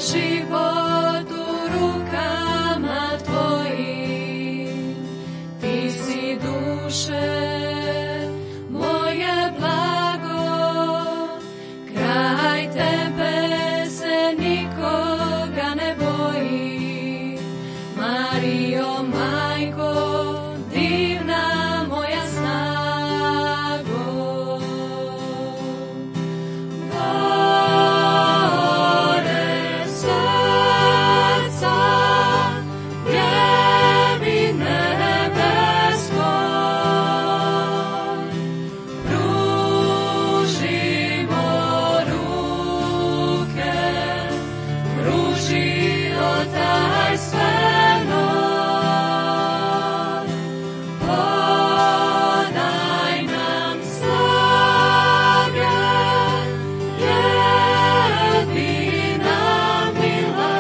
život u rukama tvojim, ti si duše moje blago, kraj tebe se nikoga ne boji. Marijo, majko, divna moja snago. Gore srca, ljevi nebeskoj, pružimo ruke, pružio taj sveno. Podaj nam snage, jedina mila,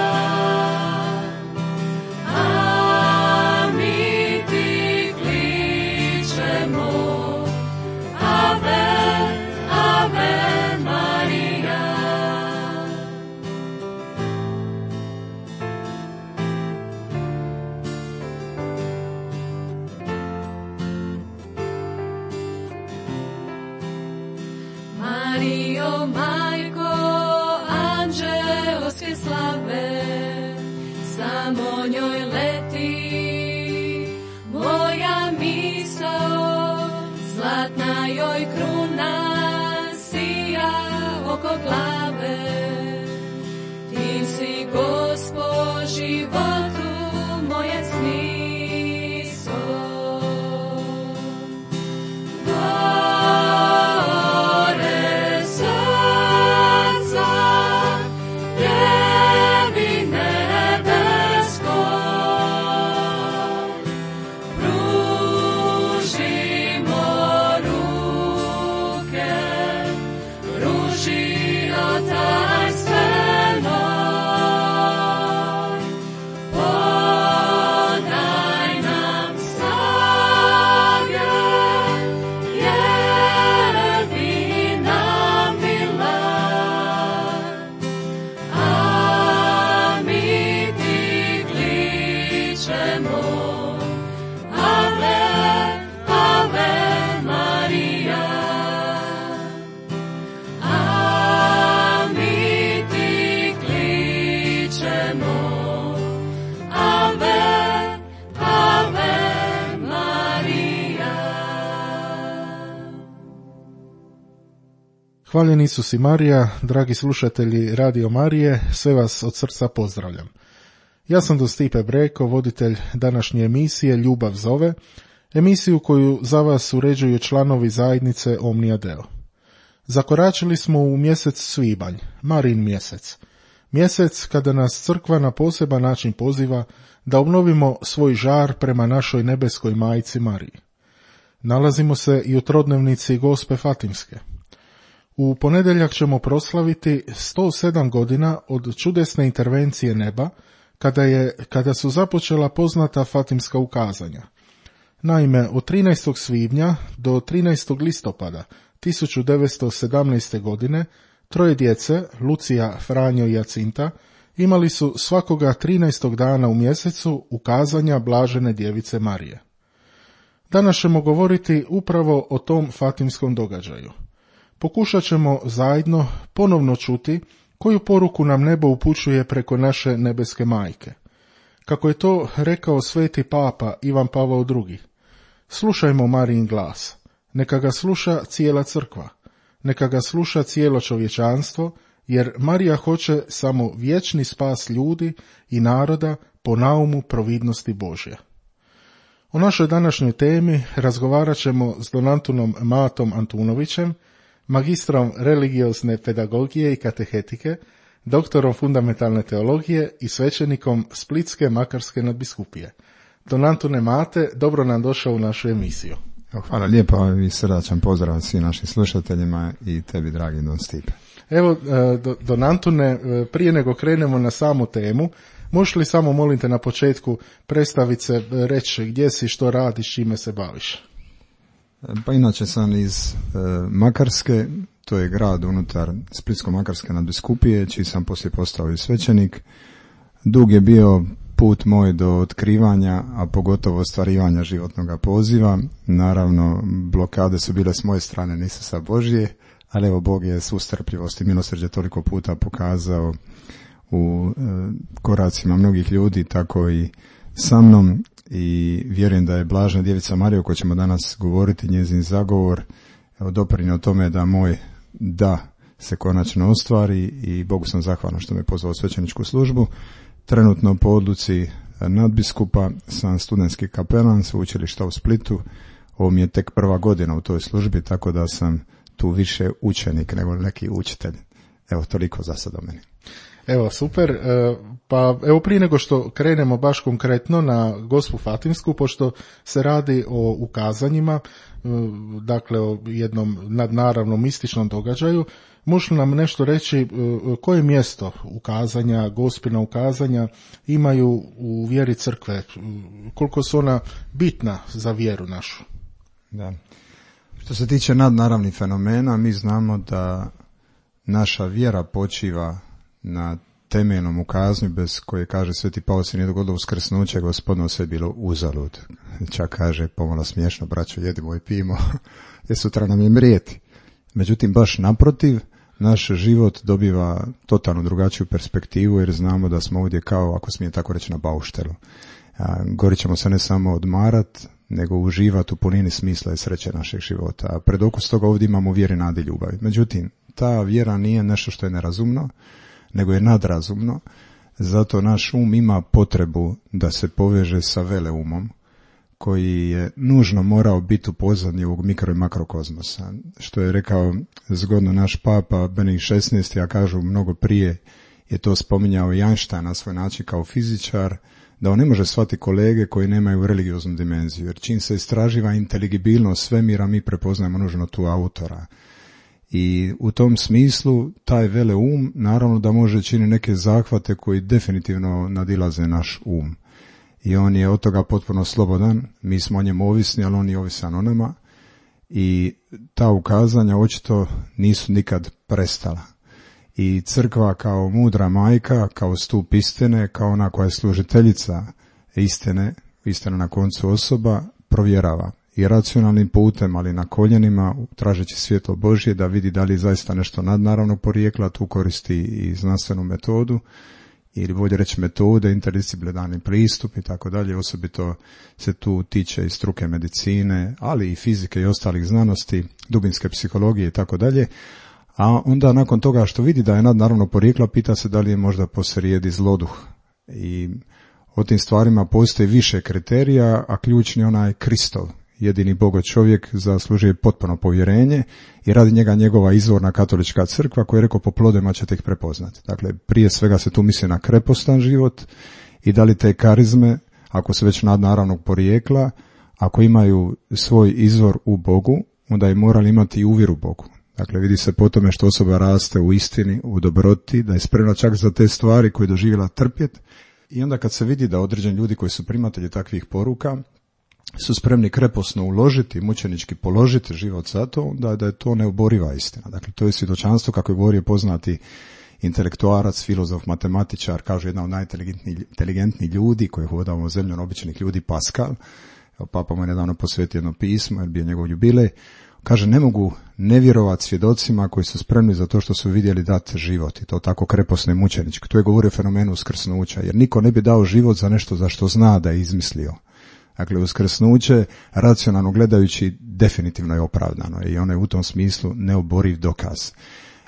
a mi ti kličemo, Ave, Ave Marija. Marijo, majko, anđelske slave, samo njoj leti moja misao, zlatna joj kruna sija oko glave. Ti si, Gospo, životu moje smisao. Gore srca, ljevi nebeskoj, pružimo ruke, pružio taj svenoj. Podaj nam snage, jedina mila, a mi ti kličemo, Ave, Ave Marija. A mi ti kličemo, Ave, Ave Marija. Hvaljen Isus i Marija, dragi slušatelji Radio Marije, sve vas od srca pozdravljam. Ja sam Don Stipe Breko, voditelj današnje emisije Ljubav zove, emisiju koju za vas uređuju članovi zajednice Omnia Deo. Zakoračili smo u mjesec svibanj, Marijin mjesec. Mjesec kada nas crkva na poseban način poziva da obnovimo svoj žar prema našoj nebeskoj majci Mariji. Nalazimo se i u trodnevnici Gospe Fatimske. U ponedjeljak ćemo proslaviti 107 godina od čudesne intervencije neba, kada su započela poznata Fatimska ukazanja. Naime, od 13. svibnja do 13. listopada 1917. godine troje djece, Lucija, Franjo i Jacinta, imali su svakoga 13. dana u mjesecu ukazanja blažene djevice Marije. Danas ćemo govoriti upravo o tom Fatimskom događaju. Pokušat ćemo zajedno ponovno čuti koju poruku nam nebo upućuje preko naše nebeske majke. Kako je to rekao sveti papa Ivan Pavao II. Slušajmo Marijin glas. Neka ga sluša cijela crkva. Neka ga sluša cijelo čovječanstvo, jer Marija hoće samo vječni spas ljudi i naroda po naumu providnosti Božja. O našoj današnjoj temi razgovarat ćemo s Don Antunom Matom Antunovićem, magistrom religiozne pedagogije i katehetike, doktorom fundamentalne teologije i svećenikom Splitske Makarske nadbiskupije. Don Antune Mate, dobro nam došao u našu emisiju. Hvala lijepo i srdačan pozdrav svim našim slušateljima i tebi, dragi Don Stipe. Evo, Don Antune, prije nego krenemo na samu temu, možeš li samo, molim te, na početku predstaviti se, reći gdje si, što radiš, čime se baviš? Pa inače sam iz Makarske, to je grad unutar Splitsko-Makarske nadbiskupije, čiji sam poslije postao i svećenik. Dug je bio put moj do otkrivanja, a pogotovo ostvarivanja životnog poziva. Naravno, blokade su bile s moje strane, nisu sa Božje, ali evo Bog je svu strpljivost i milosrđe toliko puta pokazao u koracima mnogih ljudi, tako i sa mnom, i vjerujem da je Blažena Djevica Marija, o kojoj ćemo danas govoriti, njezin zagovor, doprinio tome da moj da se konačno ostvari, i Bogu sam zahvalan što me pozvao u svećeničku službu. Trenutno po odluci nadbiskupa sam studentski kapelan sveučilišta u Splitu. Ovo mi je tek prva godina u toj službi, tako da sam tu više učenik nego neki učitelj. Evo, toliko za sad o meni. Evo, super. Pa evo, prije nego što krenemo baš konkretno na Gospu Fatimsku, pošto se radi o ukazanjima, dakle o jednom nadnaravnom mističnom događaju, možeš li nam nešto reći koje mjesto ukazanja, Gospina ukazanja imaju u vjeri crkve, koliko su ona bitna za vjeru našu? Da. Što se tiče nadnaravnih fenomena, mi znamo da naša vjera počiva na temeljnom ukazanju, bez koje, kaže Sveti Pavao, se nije dogodilo uskrsnuće Gospodino, sve je bilo uzalud. Čak kaže, pomalo smiješno, braćo, jedimo i pijemo, jer sutra nam je mrijeti. Međutim, baš naprotiv, naš život dobiva totalno drugačiju perspektivu, jer znamo da smo ovdje kao, ako smijem tako reći, na bauštelu. Gori ćemo se ne samo odmarat, nego uživati u punini smisla i sreće našeg života. A pred okus toga ovdje imamo vjere, nade i ljubavi. Međutim, ta vjera nije nešto što je nerazumno, nego je nadrazumno. Zato naš um ima potrebu da se poveže sa veleumom, koji je nužno morao biti u pozadnji ovog mikro i makrokozmosa. Što je rekao zgodno naš papa Benedikt XVI, a kažu mnogo prije je to spominjao i Einstein na svoj način kao fizičar, da on ne može shvatiti kolege koji nemaju religioznu dimenziju, jer čim se istraživa inteligibilnost svemira, mi prepoznajemo nužno tu autora. I u tom smislu taj veleum naravno da može činiti neke zahvate koji definitivno nadilaze naš um. I on je od toga potpuno slobodan, mi smo o njemu ovisni, ali on je ovisan o nama, i ta ukazanja očito nisu nikad prestala. I crkva kao mudra majka, kao stup istine, kao ona koja je služiteljica istine, istina na koncu osoba, provjerava i racionalnim putem, ali na koljenima, tražeći svjetlo Božje da vidi da li je zaista nešto nadnaravnog porijekla, tu koristi i znanstvenu metodu, ili bolje reći metode, interdisciplinarni pristup i tako dalje. Osobito se tu tiče i struke medicine, ali i fizike i ostalih znanosti, dubinske psihologije i tako dalje. A onda nakon toga što vidi da je nadnaravno porijekla, pita se da li je možda posrijedi zloduh. I o tim stvarima postoji više kriterija, a ključni onaj Kristov, jedini Bogo čovjek, zaslužuje potpuno povjerenje i radi njega njegova izvorna katolička crkva koja je rekao po plodovima ćete ih prepoznati. Dakle, prije svega se tu misli na krepostan život i da li te karizme, ako su već nadnaravnog porijekla, ako imaju svoj izvor u Bogu, onda je morali imati i uvjeru u Bogu. Dakle, vidi se po tome što osoba raste u istini, u dobroti, da je spremna čak za te stvari koje je doživjela trpjet. I onda kad se vidi da određeni ljudi koji su primatelji takvih poruka su spremni kreposno uložiti, mučenički položiti život za to, onda da je to neoboriva istina. Dakle, to je svjedočanstvo, kako je govorio poznati intelektuarac, filozof, matematičar, kaže jedan od najinteligentnijih ljudi koji je hodao u zemljom običnih ljudi, Pascal. Papa mu je nedavno posvetio jedno pismo, jer bio njegov jubilej. Kaže, ne mogu ne vjerovati svjedocima koji su spremni za to što su vidjeli dati život, i to tako kreposno i mučenički. Tu je govorio o fenomenu uskrsnuća, jer niko ne bi dao život za nešto za što zna da je izmislio. Dakle, uskrsnuće, racionalno gledajući, definitivno je opravdano i ono je u tom smislu neoboriv dokaz.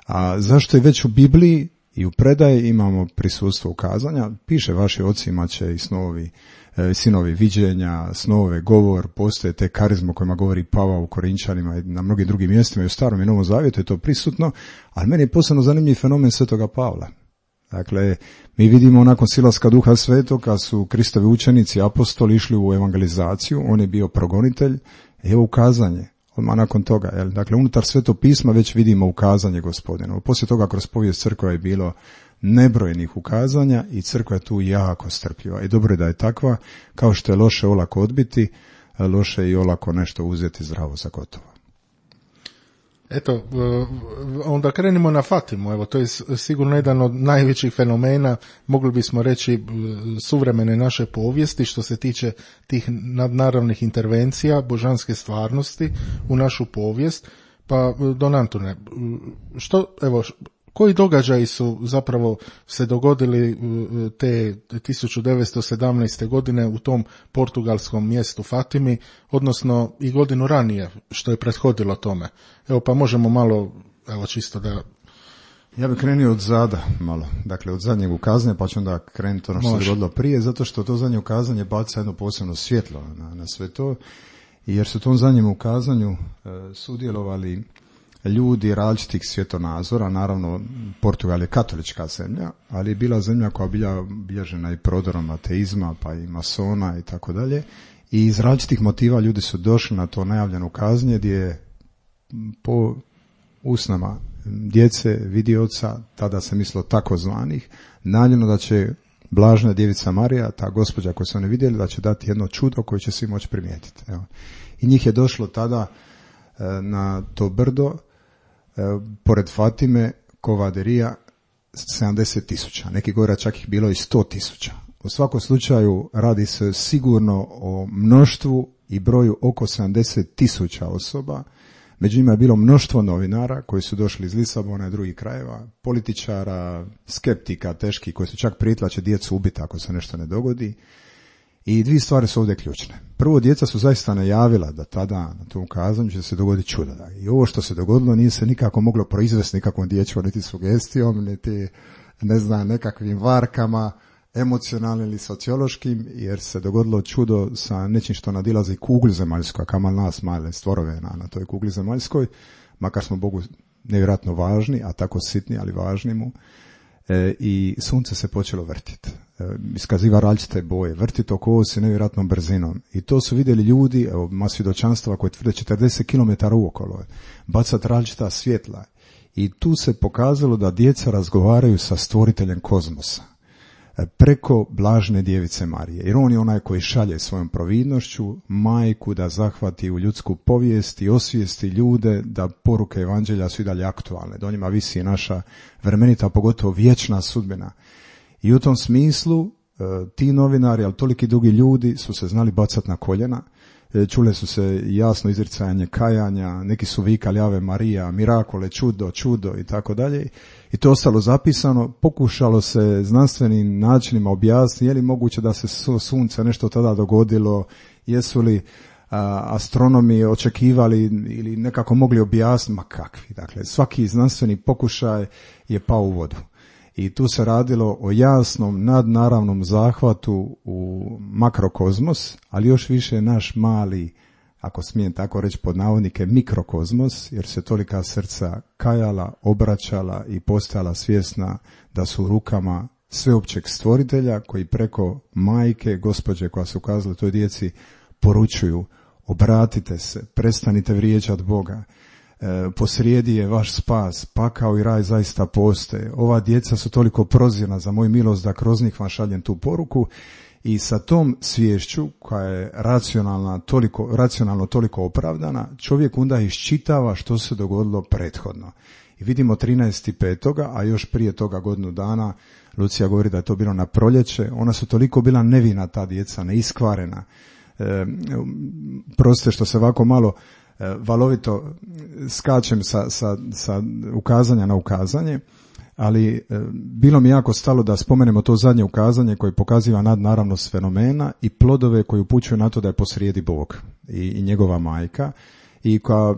A zašto je već u Bibliji i u predaji imamo prisustvo ukazanja? Piše, vaši oci imat će i sinovi viđenja, snove, govor, postoje te karizme o kojima govori Pavao u Korinčanima i na mnogim drugim mjestima i u Starom i Novom Zavjetu je to prisutno, ali meni je posebno zanimljiv fenomen Svetoga Pavla. Dakle, mi vidimo nakon silaska Duha Svetog, kad su Kristovi učenici, apostoli išli u evangelizaciju, on je bio progonitelj, evo ukazanje, odmah nakon toga. Dakle, unutar Svetog pisma već vidimo ukazanje Gospodina. Poslije toga kroz povijest crkva je bilo nebrojenih ukazanja i crkva je tu jako strpljiva. I dobro je da je takva, kao što je loše olako odbiti. loše i olako nešto uzeti zdravo za gotovo. Eto, onda krenimo na Fatimu. Evo, to je sigurno jedan od najvećih fenomena, mogli bismo reći, suvremene naše povijesti što se tiče tih nadnaravnih intervencija, božanske stvarnosti u našu povijest. Pa, Don Antune, koji događaji su zapravo se dogodili te 1917. godine u tom portugalskom mjestu Fatimi, odnosno i godinu ranije što je prethodilo tome? Evo, pa možemo malo, čisto da... Ja bih krenio od zada malo, dakle od zadnjeg ukazanja, pa ću onda krenuti ono što se dogodilo prije, zato što to zadnje ukazanje baca jedno posebno svjetlo na sve to, jer su u tom zadnjem ukazanju sudjelovali ljudi različitih svjetonazora. Naravno, Portugal je katolička zemlja, ali je bila zemlja koja je bilježena i prodorom ateizma, pa i masona i tako dalje. I iz različitih motiva ljudi su došli na to najavljeno ukazanje gdje je po usnama djece, vidioca, tada se mislilo takozvanih, najavljeno da će Blažena Djevica Marija, ta gospođa koju su oni vidjeli, da će dati jedno čudo koje će svi moći primijetiti. Evo. I njih je došlo tada na to brdo, pored Fatime, Kovaderija, 70.000. Neki govore čak ih bilo i 100.000. U svakom slučaju radi se sigurno o mnoštvu i broju oko 70.000 osoba. Među njima je bilo mnoštvo novinara koji su došli iz Lisabona i drugih krajeva, političara, skeptika, teški, koji su čak prijetili da će djecu ubiti ako se nešto ne dogodi. I dvije stvari su ovdje ključne. Prvo, djeca su zaista najavila da tada na tom ukazanju će se dogoditi čudo. I ovo što se dogodilo nije se nikako moglo proizvesti nikakvom dječjom, niti sugestijom, niti nekakvim varkama, emocionalnim ili sociološkim, jer se dogodilo čudo sa nečim što nadilazi kugli zemaljskoj, a kamal nas male stvorove na toj kugli zemaljskoj, makar smo Bogu nevjerojatno važni, a tako sitni, ali važni mu. I sunce se počelo vrtiti. Iskaziva različite boje, vrtiti oko osi nevjerojatnom brzinom. I to su vidjeli ljudi, evo, ima svjedočanstva koje tvrde 40 km uokolo, bacati različita svjetla. I tu se pokazalo da djeca razgovaraju sa stvoriteljem kozmosa preko Blažene Djevice Marije. Jer on je onaj koji šalje svojom providnošću majku da zahvati u ljudsku povijest i osvijesti ljude da poruke evanđelja su i dalje aktualne. Do njima visi naša vremenita, pogotovo vječna sudbina. I u tom smislu ti novinari, ali toliki drugi ljudi su se znali bacati na koljena. Čule su se jasno izricanje kajanja, neki su vikali Ave Marija, mirakole, čudo i tako dalje. I to ostalo zapisano, pokušalo se znanstvenim načinima objasniti je li moguće da se sunce nešto tada dogodilo, jesu li astronomi očekivali ili nekako mogli objasniti, ma kakvi. Dakle, svaki znanstveni pokušaj je pao u vodu. I tu se radilo o jasnom nadnaravnom zahvatu u makrokozmos, ali još više naš mali, ako smijem tako reći pod navodnike, mikrokozmos, jer se tolika srca kajala, obraćala i postajala svjesna da su u rukama sveopćeg stvoritelja koji preko majke, gospođe koja su ukazala toj djeci, poručuju: obratite se, prestanite vrijeđati Boga. Posrijedi je vaš spas, pakao i raj zaista postoje. Ova djeca su toliko prozirna za moju milost da kroz njih vam šaljem tu poruku. I sa tom sviješću koja je racionalno toliko opravdana, čovjek onda iščitava što se dogodilo prethodno. I vidimo 13.5., a još prije toga godinu dana, Lucija govori da je to bilo na proljeće, ona su toliko bila nevina, ta djeca, neiskvarena. Proste što se ovako malo valovito skačem sa ukazanja na ukazanje, ali bilo mi jako stalo da spomenemo to zadnje ukazanje koje pokaziva nadnaravnost fenomena i plodove koji upućuju na to da je posrijedi Bog i njegova majka, i koja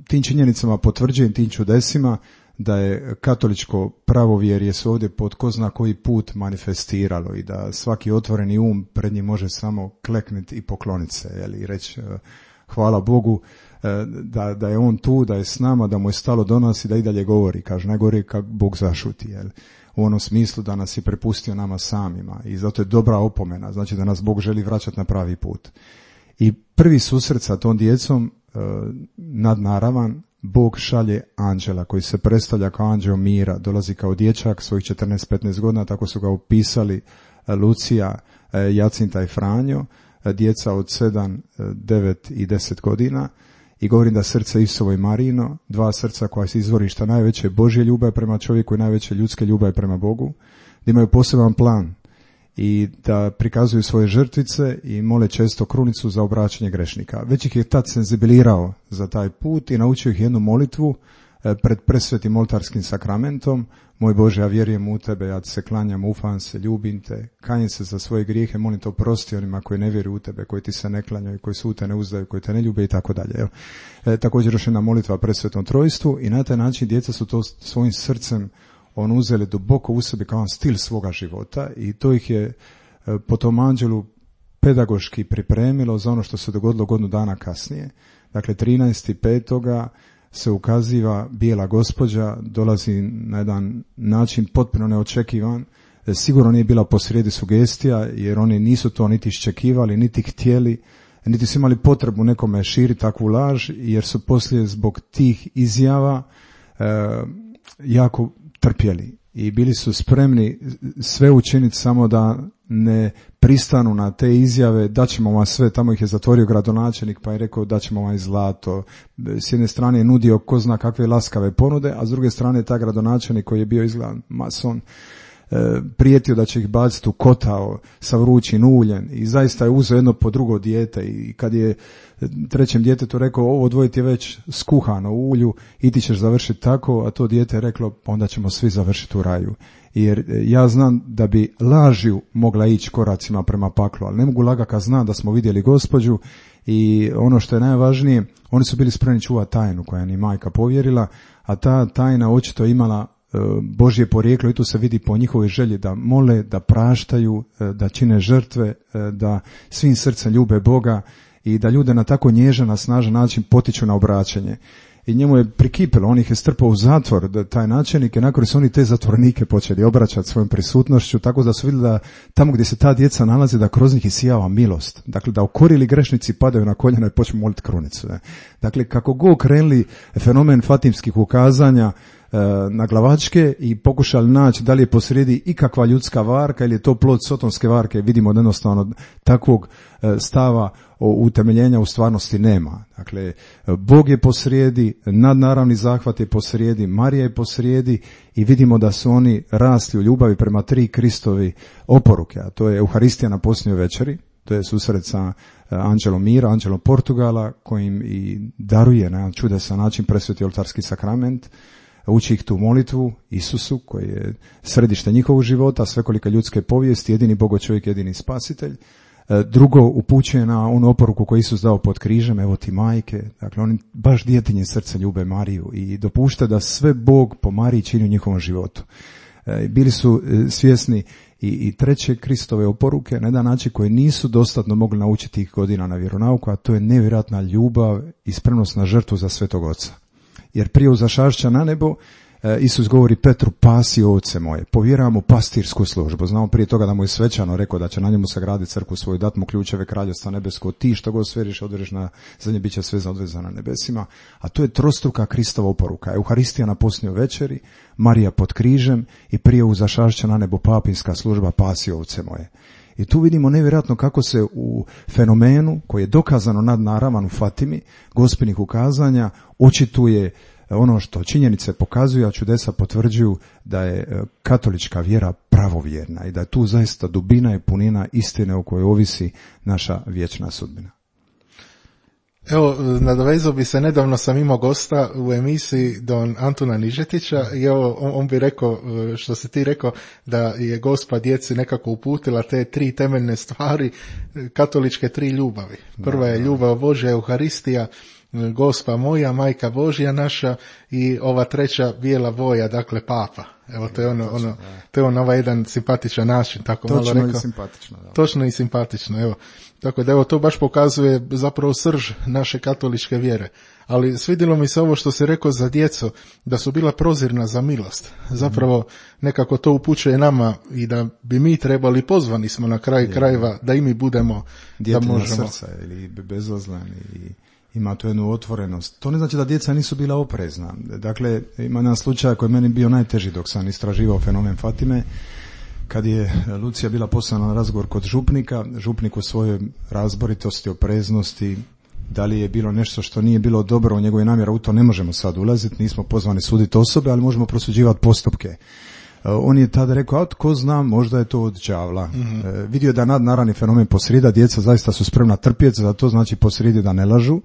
tim činjenicama potvrđuje, tim čudesima, da je katoličko pravovjerje se ovdje pod ko zna koji put manifestiralo i da svaki otvoreni pred njim može samo klekniti i pokloniti se i reći hvala Bogu da je on tu, da je s nama, da mu je stalo do nas i da i dalje govori. Kaže, najgore kad Bog zašuti, u onom smislu da nas je prepustio nama samima, i zato je dobra opomena, znači da nas Bog želi vraćati na pravi put. I prvi susret sa tom djecom nadnaravan, Bog šalje anđela koji se predstavlja kao anđeo mira, dolazi kao dječak svojih 14-15 godina, tako su ga upisali Lucija, Jacinta i Franjo. djeca od 7, 9 i 10 godina i govorim da srce Isusovo i Marijino, dva srca koja se izvorišta najveće Božje ljubavi prema čovjeku i najveće ljudske ljubavi prema Bogu, da imaju poseban plan i da prikazuju svoje žrtvice i mole često krunicu za obraćanje grešnika. Već ih je tad senzibilirao za taj put i naučio ih jednu molitvu pred presvetim oltarskim sakramentom. Moj Bože, ja vjerujem u Tebe, ja Ti se klanjam, ufam se, ljubim Te, kajem se za svoje grijehe, molim Te oprosti onima koji ne vjeruju u Tebe, koji Ti se ne klanjaju, koji su u Te ne uzdaju, koji Te ne ljube i tako dalje. Također još jedna molitva pred Svetom Trojstvu i na taj način djeca su to svojim srcem uzeli duboko u sebi kao stil svoga života i to ih je po tom anđelu pedagoški pripremilo za ono što se dogodilo godinu dana kasnije. Dakle, 13.5. se ukaziva bijela gospođa, dolazi na jedan način potpuno neočekivan. Sigurno nije bila posrijedi sugestija, jer oni nisu to niti iščekivali, niti htjeli, niti su imali potrebu nekome širiti takvu laž, jer su poslije zbog tih izjava jako trpjeli i bili su spremni sve učiniti samo da ne pristanu na te izjave, daćemo vam sve. Tamo ih je zatvorio gradonačelnik pa je rekao daćemo vam i zlato. S jedne strane je nudio ko zna kakve laskave ponude, a s druge strane taj gradonačelnik koji je bio izgledan mason prijetio da će ih baciti u kotao sa vrućim uljem i zaista je uzeo jedno po drugo dijete i kad je trećem djetetu rekao ovo dvoje ti je već skuhano u ulju i ti ćeš završiti tako, a to dijete je reklo onda ćemo svi završiti u raju. Jer ja znam da bi lažju mogla ići koracima prema paklu, ali ne mogu lagati kad znam da smo vidjeli gospođu i ono što je najvažnije, oni su bili spremni čuvati tajnu koja im majka povjerila, a ta tajna očito imala Božje porijeklo i tu se vidi po njihovoj želji da mole, da praštaju, da čine žrtve, da svim srcem ljube Boga i da ljude na tako nježan, snažan način potiču na obraćanje. I njemu je prikipilo, on ih je strpao u zatvor, da taj načelnik i nakon su oni te zatvornike počeli obraćati svojom prisutnošću, tako da su vidjeli da tamo gdje se ta djeca nalaze da kroz njih isijava milost. Dakle, da okorili grešnici padaju na koljena i počnu moliti krunicu. Dakle, kako god krenuli fenomen fatimskih ukazanja na glavačke i pokušali naći da li je posrijedi ikakva ljudska varka ili je to plod sotonske varke, vidimo da jednostavno takvog stava utemeljenja u stvarnosti nema. Dakle, Bog je posrijedi, nadnaravni zahvat je posrijedi, Marija je posrijedi i vidimo da su oni rasli u ljubavi prema 3 Kristovi oporuke, a to je Euharistija na posljednjoj večeri, to je susret sa anđelom mira, anđelom Portugala, kojim i daruje na čudesan način presveti oltarski sakrament, uči ih tu molitvu Isusu koji je središte njihovog života, svekolike ljudske povijesti, jedini Bogo čovjek, jedini spasitelj. Drugo, upućuje na onu oporuku koju Isus dao pod križem, evo ti majke. Dakle, oni baš djetinje srce ljube Mariju i dopušta da sve Bog po Mariji čini u njihovom životu. Bili su svjesni i treće Kristove oporuke na jedan način koje nisu dostatno mogli naučiti tih godina na vjeronauku, a to je nevjerojatna ljubav i spremnost na žrtvu za Svetog Oca. Jer prije uzašašća na nebo Isus govori Petru, pasi ovce moje, povjera mu pastirsku službu. Znamo prije toga da mu je svečano rekao da će na njemu sagraditi crkvu svoju, dat mu ključeve kraljevstva nebesko, ti što god sveriš odveriš na zemlji, bit će sve odvezano na nebesima. A to je trostruka Kristova oporuka. Euharistija na posljednjoj večeri, Marija pod križem i prije uzašašća na nebo papinska služba, pasi ovce moje. I tu vidimo nevjerojatno kako se u fenomenu koji je dokazano nadnaravan u Fatimi, gospinih ukazanja, očituje ono što činjenice pokazuju, a čudesa potvrđuju da je katolička vjera pravovjerna i da je tu zaista dubina i punina istine o kojoj ovisi naša vječna sudbina. Evo, nadovezao bi se, nedavno sam imao gosta u emisiji don Antuna Nižetića i evo, on bi rekao, što si ti rekao, da je Gospa djeci nekako uputila te 3 temeljne stvari, katoličke 3 ljubavi. Prva je ljubav Božja, Euharistija, Gospa moja, Majka Božja naša i ova treća bijela boja, dakle Papa. Evo, to je to je ovaj jedan simpatičan način, tako točno malo rekao. I simpatično. Da. Točno i simpatično, evo. Tako da evo, to baš pokazuje zapravo srž naše katoličke vjere. Ali svidjelo mi se ovo što si rekao za djecu, da su bila prozirna za milost. Zapravo nekako to upućuje nama i da bi mi trebali, pozvani smo na kraj krajeva, da i mi budemo, djetina da možemo. Srca ili bezazleni i ima tu jednu otvorenost. To ne znači da djeca nisu bila oprezna. Dakle, ima jedan slučaj koji je meni bio najteži dok sam istraživao fenomen Fatime. Kad je Lucija bila poslana na razgovor kod župnika, župnik u svojoj razboritosti, opreznosti, da li je bilo nešto što nije bilo dobro u njegove namjera, u to ne možemo sad ulaziti, nismo pozvani suditi osobe, ali možemo prosuđivati postupke. On je tada rekao, a tko zna, možda je to od đavla. Vidio je da nadnaravni fenomen posrijedi, djeca zaista su spremna trpjeti, za to znači posrijedi da ne lažu.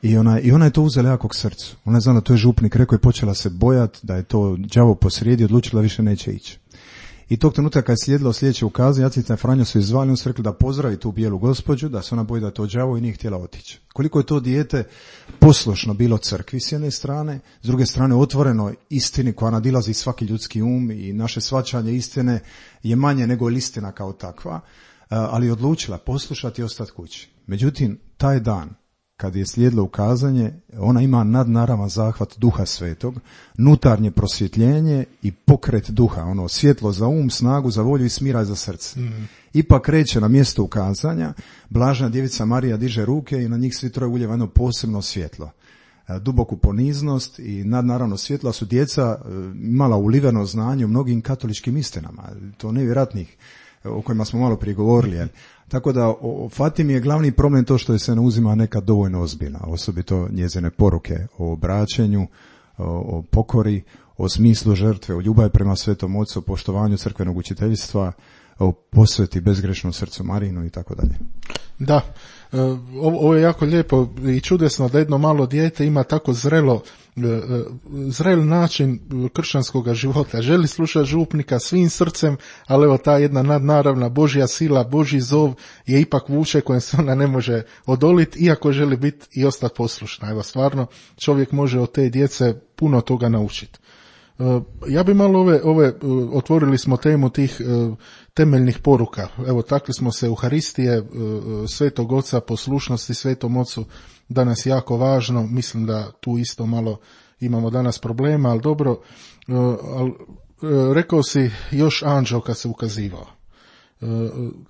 I ona je to uzela jako k srcu. Ona je znala da to je župnik rekao i počela se bojati da je to đavo posrijedi, odlučila više neće ići. I tog trenutka kad je slijedilo sljedeće ukazanje, Jacinta i Franjo su izvali, on su rekli da pozdravi tu bijelu gospođu, da se ona boji da je to đavo i nije htjela otići. Koliko je to dijete poslušno bilo crkvi s jedne strane, s druge strane otvoreno istini koja nadilazi svaki ljudski um i naše shvaćanje istine je manje nego istina kao takva, ali je odlučila poslušati i ostati kući. Međutim, taj dan kad je slijedilo ukazanje, ona ima nadnaravan zahvat Duha Svetog, nutarnje prosvjetljenje i pokret duha, ono svjetlo za um, snagu za volju i smiraj za srce. Ipak kreće na mjesto ukazanja, blažena djevica Marija diže ruke i na njih svi troje ulijeva jedno posebno svjetlo. Duboku poniznost i nadnaravno svjetla su djeca imala uliveno znanje u mnogim katoličkim istinama, to nevjerojatnih o kojima smo malo prije govorili. Tako da o Fatimi je glavni problem to što je se ne uzima nekad dovoljno ozbiljna, osobito njezine poruke o obraćenju, o pokori, o smislu žrtve, o ljubavi prema Svetom Ocu, o poštovanju crkvenog učiteljstva, o posveti bezgrešnom srcu Marinu i tako dalje. Da, ovo je jako lijepo i čudesno da jedno malo dijete ima tako zrel način kršćanskog života. Želi slušati župnika svim srcem, ali evo ta jedna nadnaravna Božja sila, Božji zov je ipak vuče kojem se ona ne može odoliti, iako želi biti i ostati poslušna. Evo stvarno čovjek može od te djece puno toga naučiti. Ja bi malo otvorili smo temu tih temeljnih poruka. Evo, takli smo se Euharistije, Svetog Oca, poslušnosti Svetom Ocu, danas jako važno. Mislim da tu isto malo imamo danas problema, ali dobro. Rekao si još anđeo kad se ukazivao.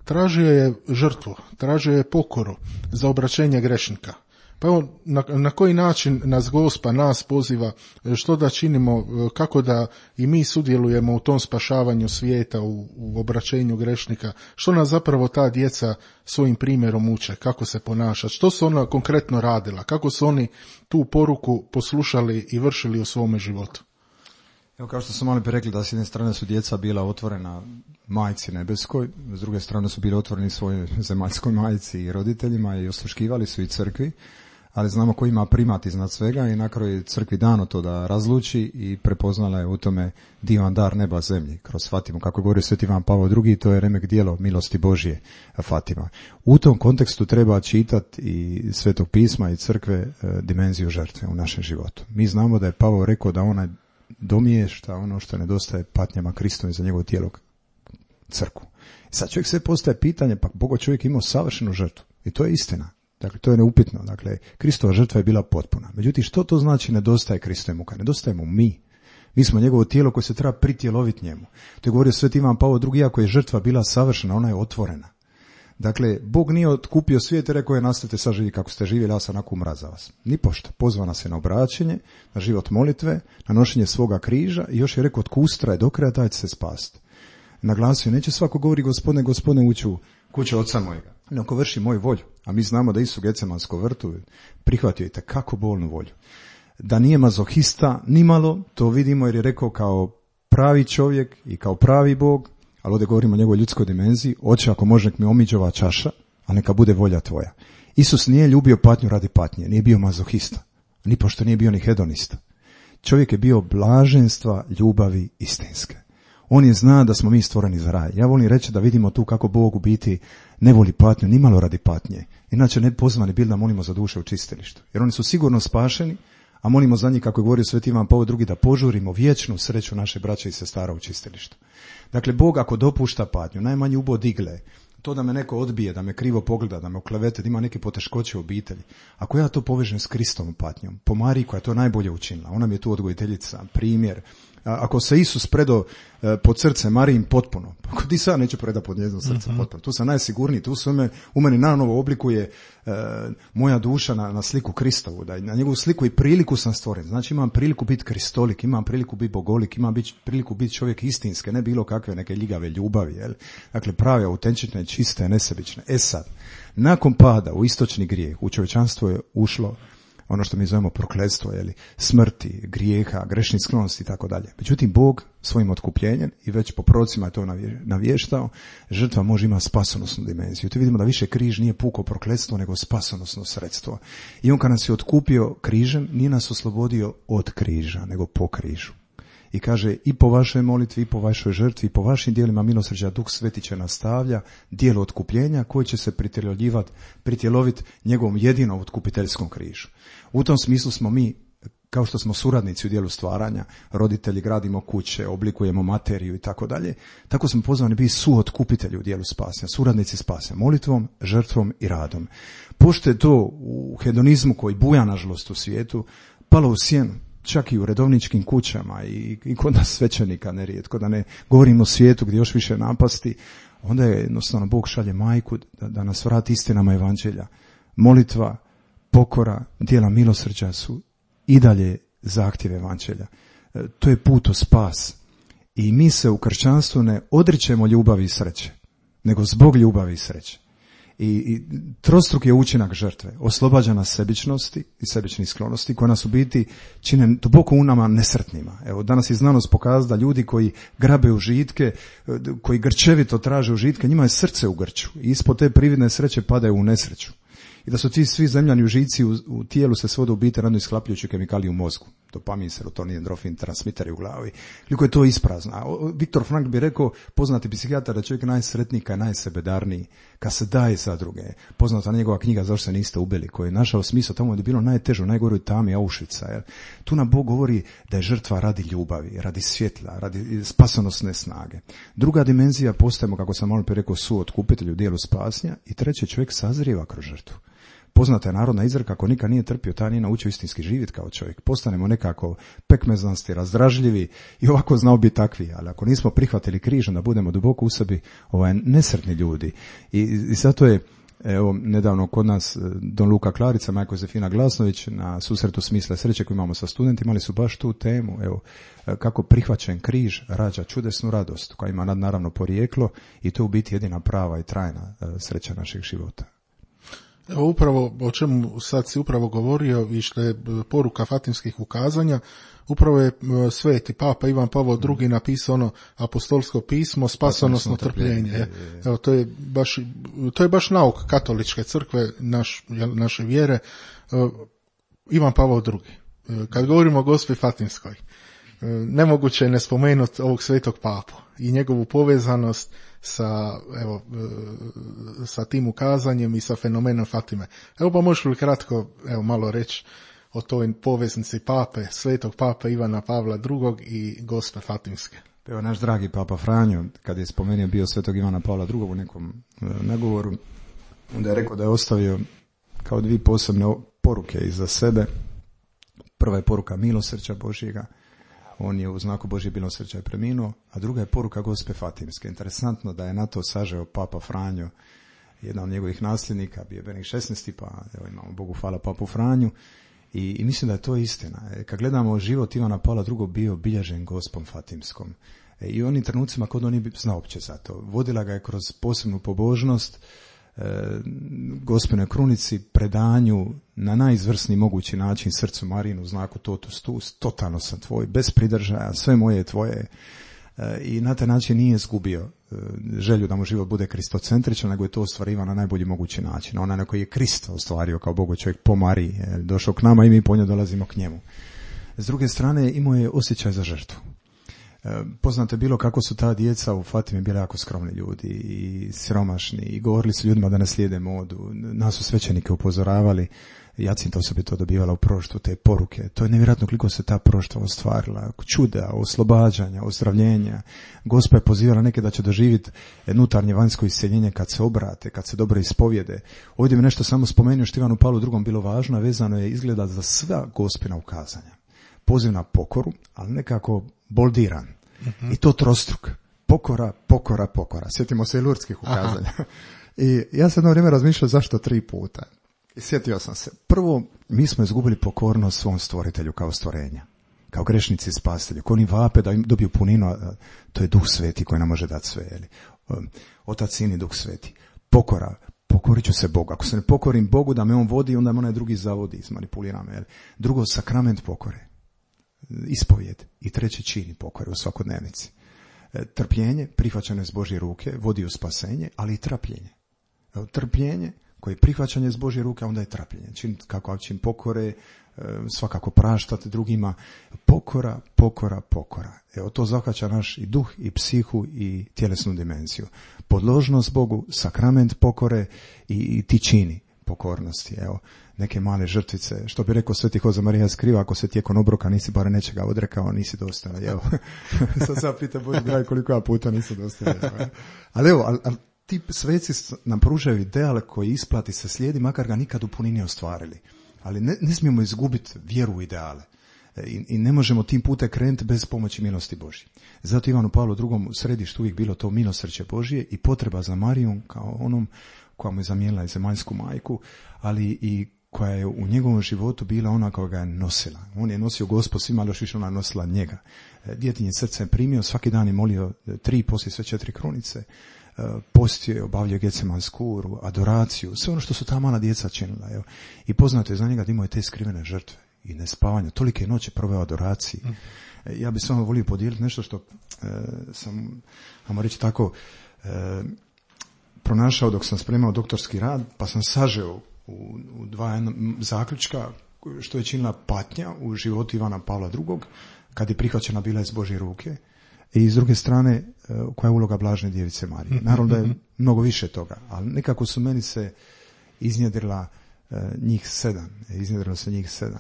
Tražio je žrtvu, tražio je pokoru za obraćenje grešnika. Pa evo, na koji način nas Gospa, nas poziva, što da činimo, kako da i mi sudjelujemo u tom spašavanju svijeta, u obraćenju grešnika, što nas zapravo ta djeca svojim primjerom uče, kako se ponašati, što su ona konkretno radila, kako su oni tu poruku poslušali i vršili u svome životu. Evo, kao što smo malo prije rekli, da s jedne strane su djeca bila otvorena majci nebeskoj, s druge strane su bili otvoreni svojoj zemaljskoj majci i roditeljima i osluškivali su i crkvi, ali znamo ko ima primat iznad svega i na kraju je crkvi dano to da razluči i prepoznala je u tome divan dar neba zemlji kroz Fatimu. Kako govori Sveti Ivan Pavao II, to je remek djelo milosti Božje Fatima. U tom kontekstu treba čitati i Svetog pisma i crkve dimenziju žrtve u našem životu. Mi znamo da je Pavao rekao da ona domiješta ono što nedostaje patnjama Kristom i za njegovo tijelo crkvu. Sad čovjek se postaje pitanje, pa Bogo čovjek imao savršenu žrtvu i to je istina. Dakle, to je neupitno. Dakle, Kristova žrtva je bila potpuna. Međutim, što to znači nedostaje Kristove muka? Nedostajemo mi. Mi smo njegovo tijelo koje se treba pritjeloviti njemu. To je govorio Sveti Ivan Pavao II, iako je žrtva bila savršena, ona je otvorena. Dakle, Bog nije otkupio svijet i rekao je nastavite sad živi kako ste živjeli, ja sam onako umra za vas. Nipošto. Pozvana se na obraćenje, na život molitve, na nošenje svoga križa i još je rekao tko ustraje do kraja taj će se spasti. Naglasio, neće svako govori gospodine ući u kuću oca mojega. Neko vrši moju volju, a mi znamo da Isus u Getsemanskom vrtu prihvatio i tekako bolnu volju. Da nije mazohista nimalo, to vidimo jer je rekao kao pravi čovjek i kao pravi Bog, ali ovdje govorimo o njegovoj ljudskoj dimenziji, oče ako može nek mi omiđe ova čaša, a neka bude volja tvoja. Isus nije ljubio patnju radi patnje, nije bio mazohista, ni pošto nije bio ni hedonista. Čovjek je bio blaženstva ljubavi istinske. On je zna da smo mi stvoreni za raj. Ja volim reći da vidimo tu kako Bog u biti ne voli patnju, ni malo radi patnje. Inače ne pozvani bili da molimo za duše u čistilištu. Jer oni su sigurno spašeni, a molimo za njih, kako je govorio Sveti Ivan Pavao II, da požurimo vječnu sreću naše braće i sestara u čistilištu. Dakle, Bog ako dopušta patnju, najmanji ubod igle, to da me neko odbije, da me krivo pogleda, da me oklevete, da ima neke poteškoće u obitelji. Ako ja to povežem s Kristovom patnjom, po Mariji koja je to najbolje učinila, ona mi je tu odgojiteljica, primjer, Ako se Isus predao pod srce Marijin potpuno, pa di sad neće predati pod njezino srce potpuno? Tu sam najsigurniji, tu se u meni nanovo oblikuje moja duša na sliku Kristovu, da na njegovu sliku i priliku sam stvoren. Znači imam priliku biti kristolik, imam priliku biti bogolik, imam priliku biti čovjek istinske, ne bilo kakve neke ljigave ljubavi. Jel? Dakle, prave, autentične, čiste, nesebične. Sad, nakon pada u istočni grijeh, u čovječanstvo je ušlo ono što mi zovemo prokletstvo, smrti, grijeha, grešnih sklonosti i tako dalje. Međutim, Bog svojim otkupljenjem, i već po prorocima je to navještao, žrtva može imati spasonosnu dimenziju. Tu vidimo da više križ nije puko prokletstvo, nego spasonosno sredstvo. I on kad nas je otkupio križem, nije nas oslobodio od križa, nego po križu. I kaže, i po vašoj molitvi, i po vašoj žrtvi, i po vašim dijelima milosrđa Duh Sveti će nastavlja dijelo otkupljenja koje će se pritjeloviti njegovom jedinom otkupiteljskom križu. U tom smislu smo mi, kao što smo suradnici u dijelu stvaranja, roditelji, gradimo kuće, oblikujemo materiju i tako dalje, tako smo pozvani biti suotkupitelji u dijelu spasenja, suradnici spasenja, molitvom, žrtvom i radom. Pošto je to u hedonizmu koji buja nažalost u svijetu, palo u sjenu, čak i u redovničkim kućama i kod nas svećenika nerijetko, da ne govorimo o svijetu gdje još više napasti, onda je jednostavno Bog šalje majku da nas vrati istinama evanđelja. Molitva, pokora, djela milosrđa su i dalje zahtjev evanđelja. To je put u spas. I mi se u kršćanstvu ne odričemo ljubavi i sreće, nego zbog ljubavi i sreće. I trostruk je učinak žrtve, oslobađa nas sebičnosti i sebičnih sklonosti koje nas u biti čine duboko u nama nesretnima. Evo, danas je znanost pokazala da ljudi koji grabe užitke, koji grčevito traže užitke, njima je srce u grču i ispod te prividne sreće padaju u nesreću. I da su ti svi zemljani užici u tijelu se svode u biti radno isklapljujući kemikalije u mozgu. Dopamin, serotonin, endorfin, transmiteri u glavi. Koliko je to isprazno. Viktor Frankl bi rekao, poznati psihijatar, da čovjek najsretniji kad je najsebedarniji, kad se daje za druge. Poznata njegova knjiga Zašto se niste ubili, koji je našao smisao tamo da je bilo najteže, u najgoroj tami Auschwitza. Tu nam Bog govori da je žrtva radi ljubavi, radi svjetla, radi spasonosne snage. Druga dimenzija, postajemo, kako sam malo prije rekao, suotkupitelj u dijelu spasnja, i treće, čovjek sazrijeva kroz žrtvu. Poznata je narodna izreka, ako nikad nije trpio, taj nije naučio istinski živjeti kao čovjek. Postanemo nekako pekmeznasti, razdražljivi i ovako znao biti takvi, ali ako nismo prihvatili križ, da budemo duboko u sebi nesretni ljudi. I zato je, evo, nedavno kod nas Don Luka Klarica, majko Josefina Glasnović, na susretu Smisla sreće koji imamo sa studentima, imali su baš tu temu, evo, kako prihvaćen križ rađa čudesnu radost koja ima nadnaravno porijeklo i to je u biti jedina prava i trajna sreća našeg života. Evo upravo o čemu sad si upravo govorio i što je poruka fatimskih ukazanja, upravo je sveti Papa Ivan Pavao II napisao ono apostolsko pismo spasonosno trpljenje. Evo to je baš nauk katoličke crkve, naše vjere, Ivan Pavao II. Kad govorimo o Gospi Fatimskoj, nemoguće je ne spomenuti ovog svetog papu i njegovu povezanost sa tim ukazanjem i sa fenomenom Fatime. Evo pa možeš li kratko malo reći o toj poveznici pape, svetog pape Ivana Pavla II i Gospe Fatimske. Evo naš dragi Papa Franjo, kad je spomenuo bio svetog Ivana Pavla II u nekom nagovoru, onda je rekao da je ostavio kao dvije posebne poruke iza sebe. Prva je poruka milosrđa Božjega, on je u znaku Božje milosrđa preminuo, a druga je poruka Gospe Fatimske. Interesantno da je na to sažeo Papa Franjo, jedan od njegovih nasljednika, bio je Benik XVI, pa evo imamo Bogu hvala Papu Franju, i mislim da je to istina. Kad gledamo život Ivana Pavla II bio bilježen Gospom Fatimskom. I u onim trenucima kod on nije znao opće za to. Vodila ga je kroz posebnu pobožnost, Gospinoj krunici, predanju na najizvrsniji mogući način srcu Marinu u znaku totus tuus, totalno sam tvoj, bez pridržaja, sve moje je tvoje, i na taj način nije izgubio želju da mu život bude kristocentričan, nego je to ostvarivao na najbolji mogući način. Onaj na koji je Krist ostvario kao Bogu čovjek po Mariji, došao k nama i mi po njoj dolazimo k njemu. S druge strane, imao je osjećaj za žrtvu. Poznato je bilo kako su ta djeca u Fatimi bili jako skromni ljudi i siromašni i govorili su ljudima da ne slijede modu. Nas su svećenike upozoravali, Jacinta osobito dobivala u proroštvu te poruke. To je nevjerojatno koliko se ta proroštva ostvarila. Čuda, oslobađanja, ozdravljenja. Gospa je pozivala neke da će doživjeti unutarnje vanjsko isceljenje kad se obrate, kad se dobro ispovjede. Ovdje mi nešto samo spomenuo što Ivanu Pavlu II bilo važno, vezano je izgleda za sva Gospina ukazanja. Poziv na pokoru, ali nekako boldiran. I to trostruk. Pokora, pokora, pokora. Sjetimo se i lurdskih ukazanja. I ja sam jedno vrijeme razmišljao zašto 3 puta. I sjetio sam se. Prvo, mi smo izgubili pokornost svom stvoritelju kao stvorenja. Kao grešnici i spasitelju. Ko oni vape da im dobiju puninu, a to je Duh Sveti koji nam može dati sve. Jeli? Otac, Sin i Duh Sveti. Pokora. Pokorit ću se Bogu. Ako se ne pokorim Bogu da me on vodi, onda me onaj drugi zavodi, izmanipulira me. Jeli? Drugo, sakrament pokore. Ispovjed. I 3. čin pokore u svakodnevnici. Trpljenje, prihvaćanje iz Božje ruke, vodi u spasenje, ali i trpljenje. Trpljenje, koje je prihvaćanje iz Božje ruke, onda je trpljenje. Čin pokore, svakako praštati drugima. Pokora, pokora, pokora. Evo, to zahvaća naš i duh, i psihu, i tjelesnu dimenziju. Podložnost Bogu, sakrament pokore i ti čini pokornosti. Evo, neke male žrtvice, što bi rekao Sveti Hoza Marija Skriva, ako se tijekom obroka nisi bar nečega odrekao, nisi dostojan. Evo, sad pita Bože dragi koliko ja puta nisi dostojan. Ali evo, ti sveci nam pružaju ideal koji isplati se slijedi, makar ga nikad u punini ostvarili. Ali ne smijemo izgubiti vjeru u ideale. I ne možemo tim putem krenuti bez pomoći milosti Božje. Zato Ivanu Pavlu II u središtu uvijek bilo to milosrđe Božje i potreba za Marijom kao onom koja mu je zamijenila i zemaljsku majku, ali i koja je u njegovom životu bila ona koja ga je nosila. On je nosio Gospod svima, ali još više ona nosila njega. Djetinje srce je primio, svaki dan je molio 3, poslije sve 4 krunice, postio je, obavljao Getsemansku, adoraciju, sve ono što su ta mala djeca činila. Evo. I poznato je za njega da imao je te skrivene žrtve i nespavanja. Tolike noće proveo adoraciji. Ja bih samo volio podijeliti nešto što sam, ajmo reći tako, pronašao dok sam spremao doktorski rad, pa sam sažeo u 2 zaključka što je činila patnja u životu Ivana Pavla II, kad je prihvaćena bila iz Božje ruke, i s druge strane koja je uloga Blažene Djevice Marije. Naravno da je mnogo više toga, ali nekako su meni se iznjedrila njih 7.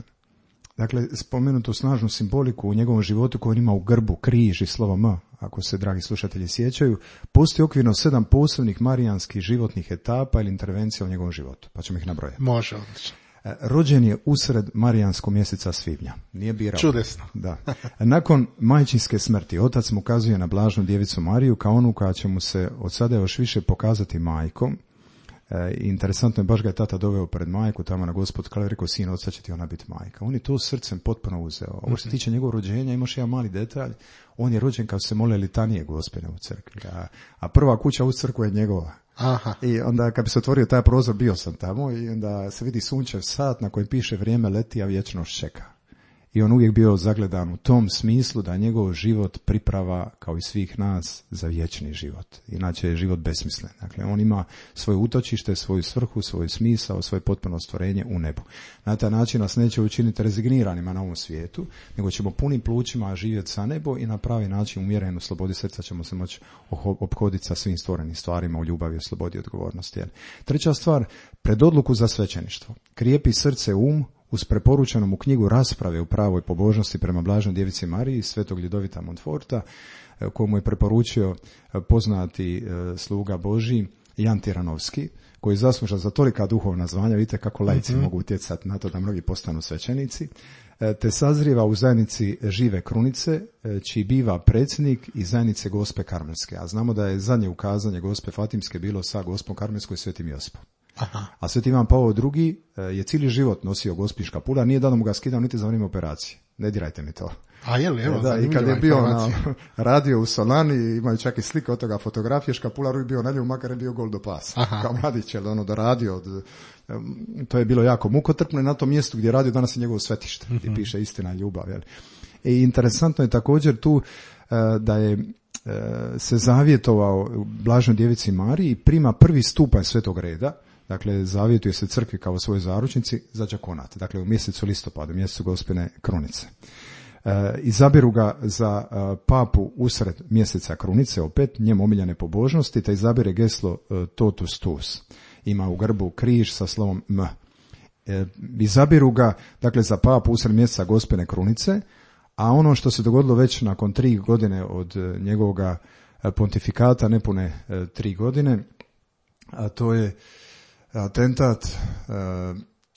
Dakle, spomenutu snažnu simboliku u njegovom životu koju ima u grbu križ i slovo M, ako se, dragi slušatelji, sjećaju, postoji okvirno 7 posebnih marijanskih životnih etapa ili intervencija u njegovom životu. Pa ćemo ih nabrojati. Može, odlično. Rođen je usred marijanskog mjeseca svibnja. Nije birao. Čudesno. Da. Nakon majčinske smrti, otac mu ukazuje na Blaženu Djevicu Mariju kao onu koja će mu se od sada još više pokazati majkom. Interesantno je, baš ga je tata doveo pred majku, tamo na Gospod, kada je rekao, sin, od sad će ti ona biti majka. On je to srcem potpuno uzeo. Ovo što se tiče njegovog rođenja, imaš jedan mali detalj, on je rođen kad se mole litanije Gospine u crkvi, a prva kuća u crkvu je njegova. Aha. I onda kad bi se otvorio taj prozor, bio sam tamo i onda se vidi sunčev sat na kojem piše vrijeme leti, a vječnost čeka. I on uvijek bio zagledan u tom smislu da njegov život priprava, kao i svih nas, za vječni život. Inače je život besmislen. Dakle, on ima svoje utočište, svoju svrhu, svoj smisao, svoje potpuno stvorenje u nebu. Na taj način nas neće učiniti rezigniranima na ovom svijetu, nego ćemo punim plućima živjeti sa nebo i na pravi način umjereno u slobodi srca ćemo se moći ophoditi sa svim stvorenim stvarima u ljubavi, slobodi i odgovornosti. Treća stvar, pred odluku za svećeništvo. Krijepi srce, uz preporučenu mu knjigu rasprave u pravoj pobožnosti prema Blaženoj Djevici Mariji svetog Ljudovita Montforta, koju mu je preporučio poznati sluga Božji Jan Tiranovski, koji je zaslužan za tolika duhovna zvanja. Vidite kako laici mogu utjecati na to da mnogi postanu svećenici, te sazrijeva u zajednici Žive Krunice, čiji biva predsjednik i zajednice Gospe Karmelske. A znamo da je zadnje ukazanje Gospe Fatimske bilo sa Gospom Karmelskom i Svetim Josipom. Aha. A Sveti Ivan Pavao II je cijeli život nosio gospin škapula, nije da mu ga skidao niti za vrijeme operacije. Ne dirajte mi to. A je li, evo, da, i kad je bio na radio u Solani, imaju čak i slike od toga fotografije, škapular uvijek bio na njemu, makar je bio gol do pasa. Aha. Kao mladić, jer ono da radio, to je bilo jako mukotrpno i na tom mjestu gdje je radio danas je njegovo svetište, gdje piše istina i ljubav. Jel? I interesantno je također tu da je se zavjetovao Blaženoj Djevici Mariji i prima prvi stupanj svetog reda. Dakle, zavjetuje se crkvi kao svojoj zaručnici za đakonat. Dakle, u mjesecu listopadu, mjesecu Gospine Krunice. Izabiru ga za papu usred mjeseca Krunice, opet njemu omiljene pobožnosti, te izabire geslo Totus Tuus. Ima u grbu križ sa slovom M. Izabiru ga, dakle, za papu usred mjeseca Gospine Krunice, a ono što se dogodilo već nakon 3 godine od njegovog pontifikata, nepune 3 godine, a to je atentat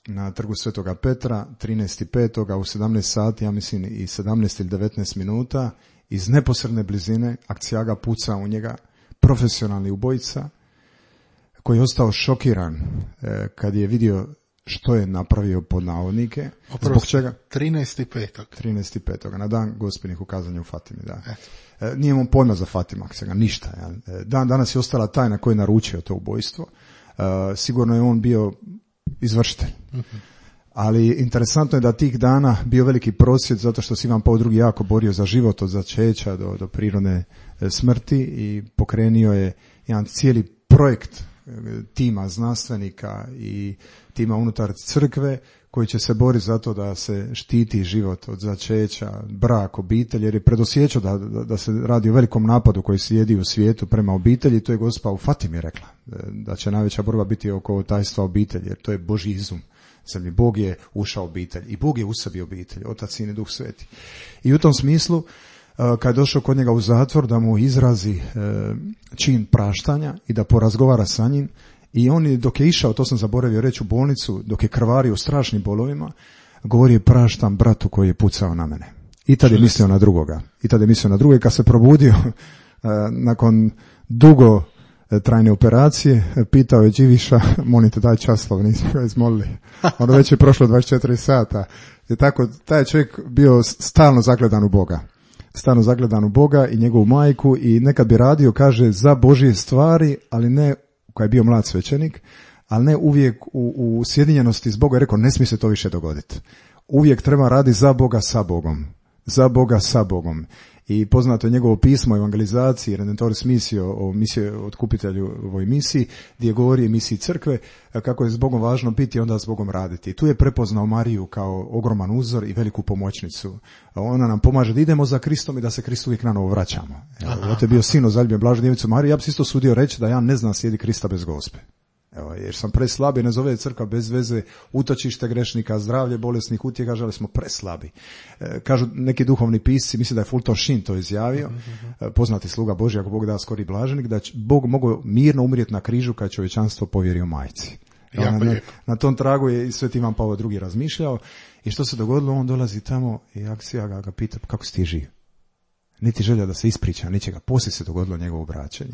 na trgu Svetoga Petra 13.5. u 17 sati, ja mislim i 17 ili 19 minuta, iz neposredne blizine Akcijaga puca u njega, profesionalni ubojica koji je ostao šokiran kad je vidio što je napravio pod navodnike. Zbog čega? 13.5. na dan Gospinih ukazanja u Fatimi, da. Nije mu pojma za Fatimu Akcijaga, ništa. Ja. Danas je ostala tajna ko je naručio to ubojstvo. Sigurno je on bio izvršitelj. Ali interesantno je da tih dana bio veliki prosvjed zato što se Ivan Pavao II jako borio za život od začeća do prirodne smrti i pokrenio je jedan cijeli projekt tima znanstvenika i tima unutar crkve koji će se boriti za to da se štiti život od začeća, brak, obitelj, jer je predosjećao da se radi o velikom napadu koji slijedi u svijetu prema obitelji. To je Gospa u Fatimi rekla, da će najveća borba biti oko tajstva obitelji, jer to je Božji izum. Bog je ušao u obitelj i Bog je u sebi obitelj, Otac, Sin i Duh Sveti. I u tom smislu, kad je došao kod njega u zatvor, da mu izrazi čin praštanja i da porazgovara sa njim, i on dok je išao, to sam zaboravio reći, u bolnicu, dok je krvario u strašnim bolovima, govori je praštam bratu koji je pucao na mene. I tad je mislio na drugoga. I kad se probudio nakon dugo trajne operacije, pitao je Điviša, molim te daj časlov, nismo ga izmolili. Ono već je prošlo 24 sata. I tako, taj čovjek bio stalno zagledan u Boga i njegovu majku, i nekad bi radio, kaže, za Božje stvari, ali ne, koji je bio mlad svećenik, ali ne uvijek u sjedinjenosti s Bogom. Je rekao, ne smije se to više dogoditi. Uvijek treba raditi za Boga sa Bogom. I poznato je njegovo pismo o evangelizaciji, Redentoris Missio, o misiji otkupitelju ovoj misiji, gdje govori o misiji crkve, kako je s Bogom važno biti i onda s Bogom raditi. Tu je prepoznao Mariju kao ogroman uzor i veliku pomoćnicu. Ona nam pomaže da idemo za Kristom i da se Kristu uvijek na novo vraćamo. Ovo je bio sin zaljubljen blaženu djevicu Mariju. Ja bih isto sudio reći da ja ne znam slijedi Krista bez Gospe. Evo, jer sam preslabi, ne zove crkva bez veze, utočište grešnika, zdravlje bolesnih utjeha, žali smo preslabi. Kažu neki duhovni pisci, mislim da je Fulton Sheen to izjavio, poznati sluga Božji, ako Bog da skori blaženik, da će Bog mogao mirno umrijeti na križu kad čovječanstvo povjerio majci. Na tom tragu je i Sveti Ivan Pavao II razmišljao, i što se dogodilo, on dolazi tamo i Akcija ga pita, kako si ti živ? Niti želja da se ispriča ničega. Poslije se dogodilo njegovo obraćanje.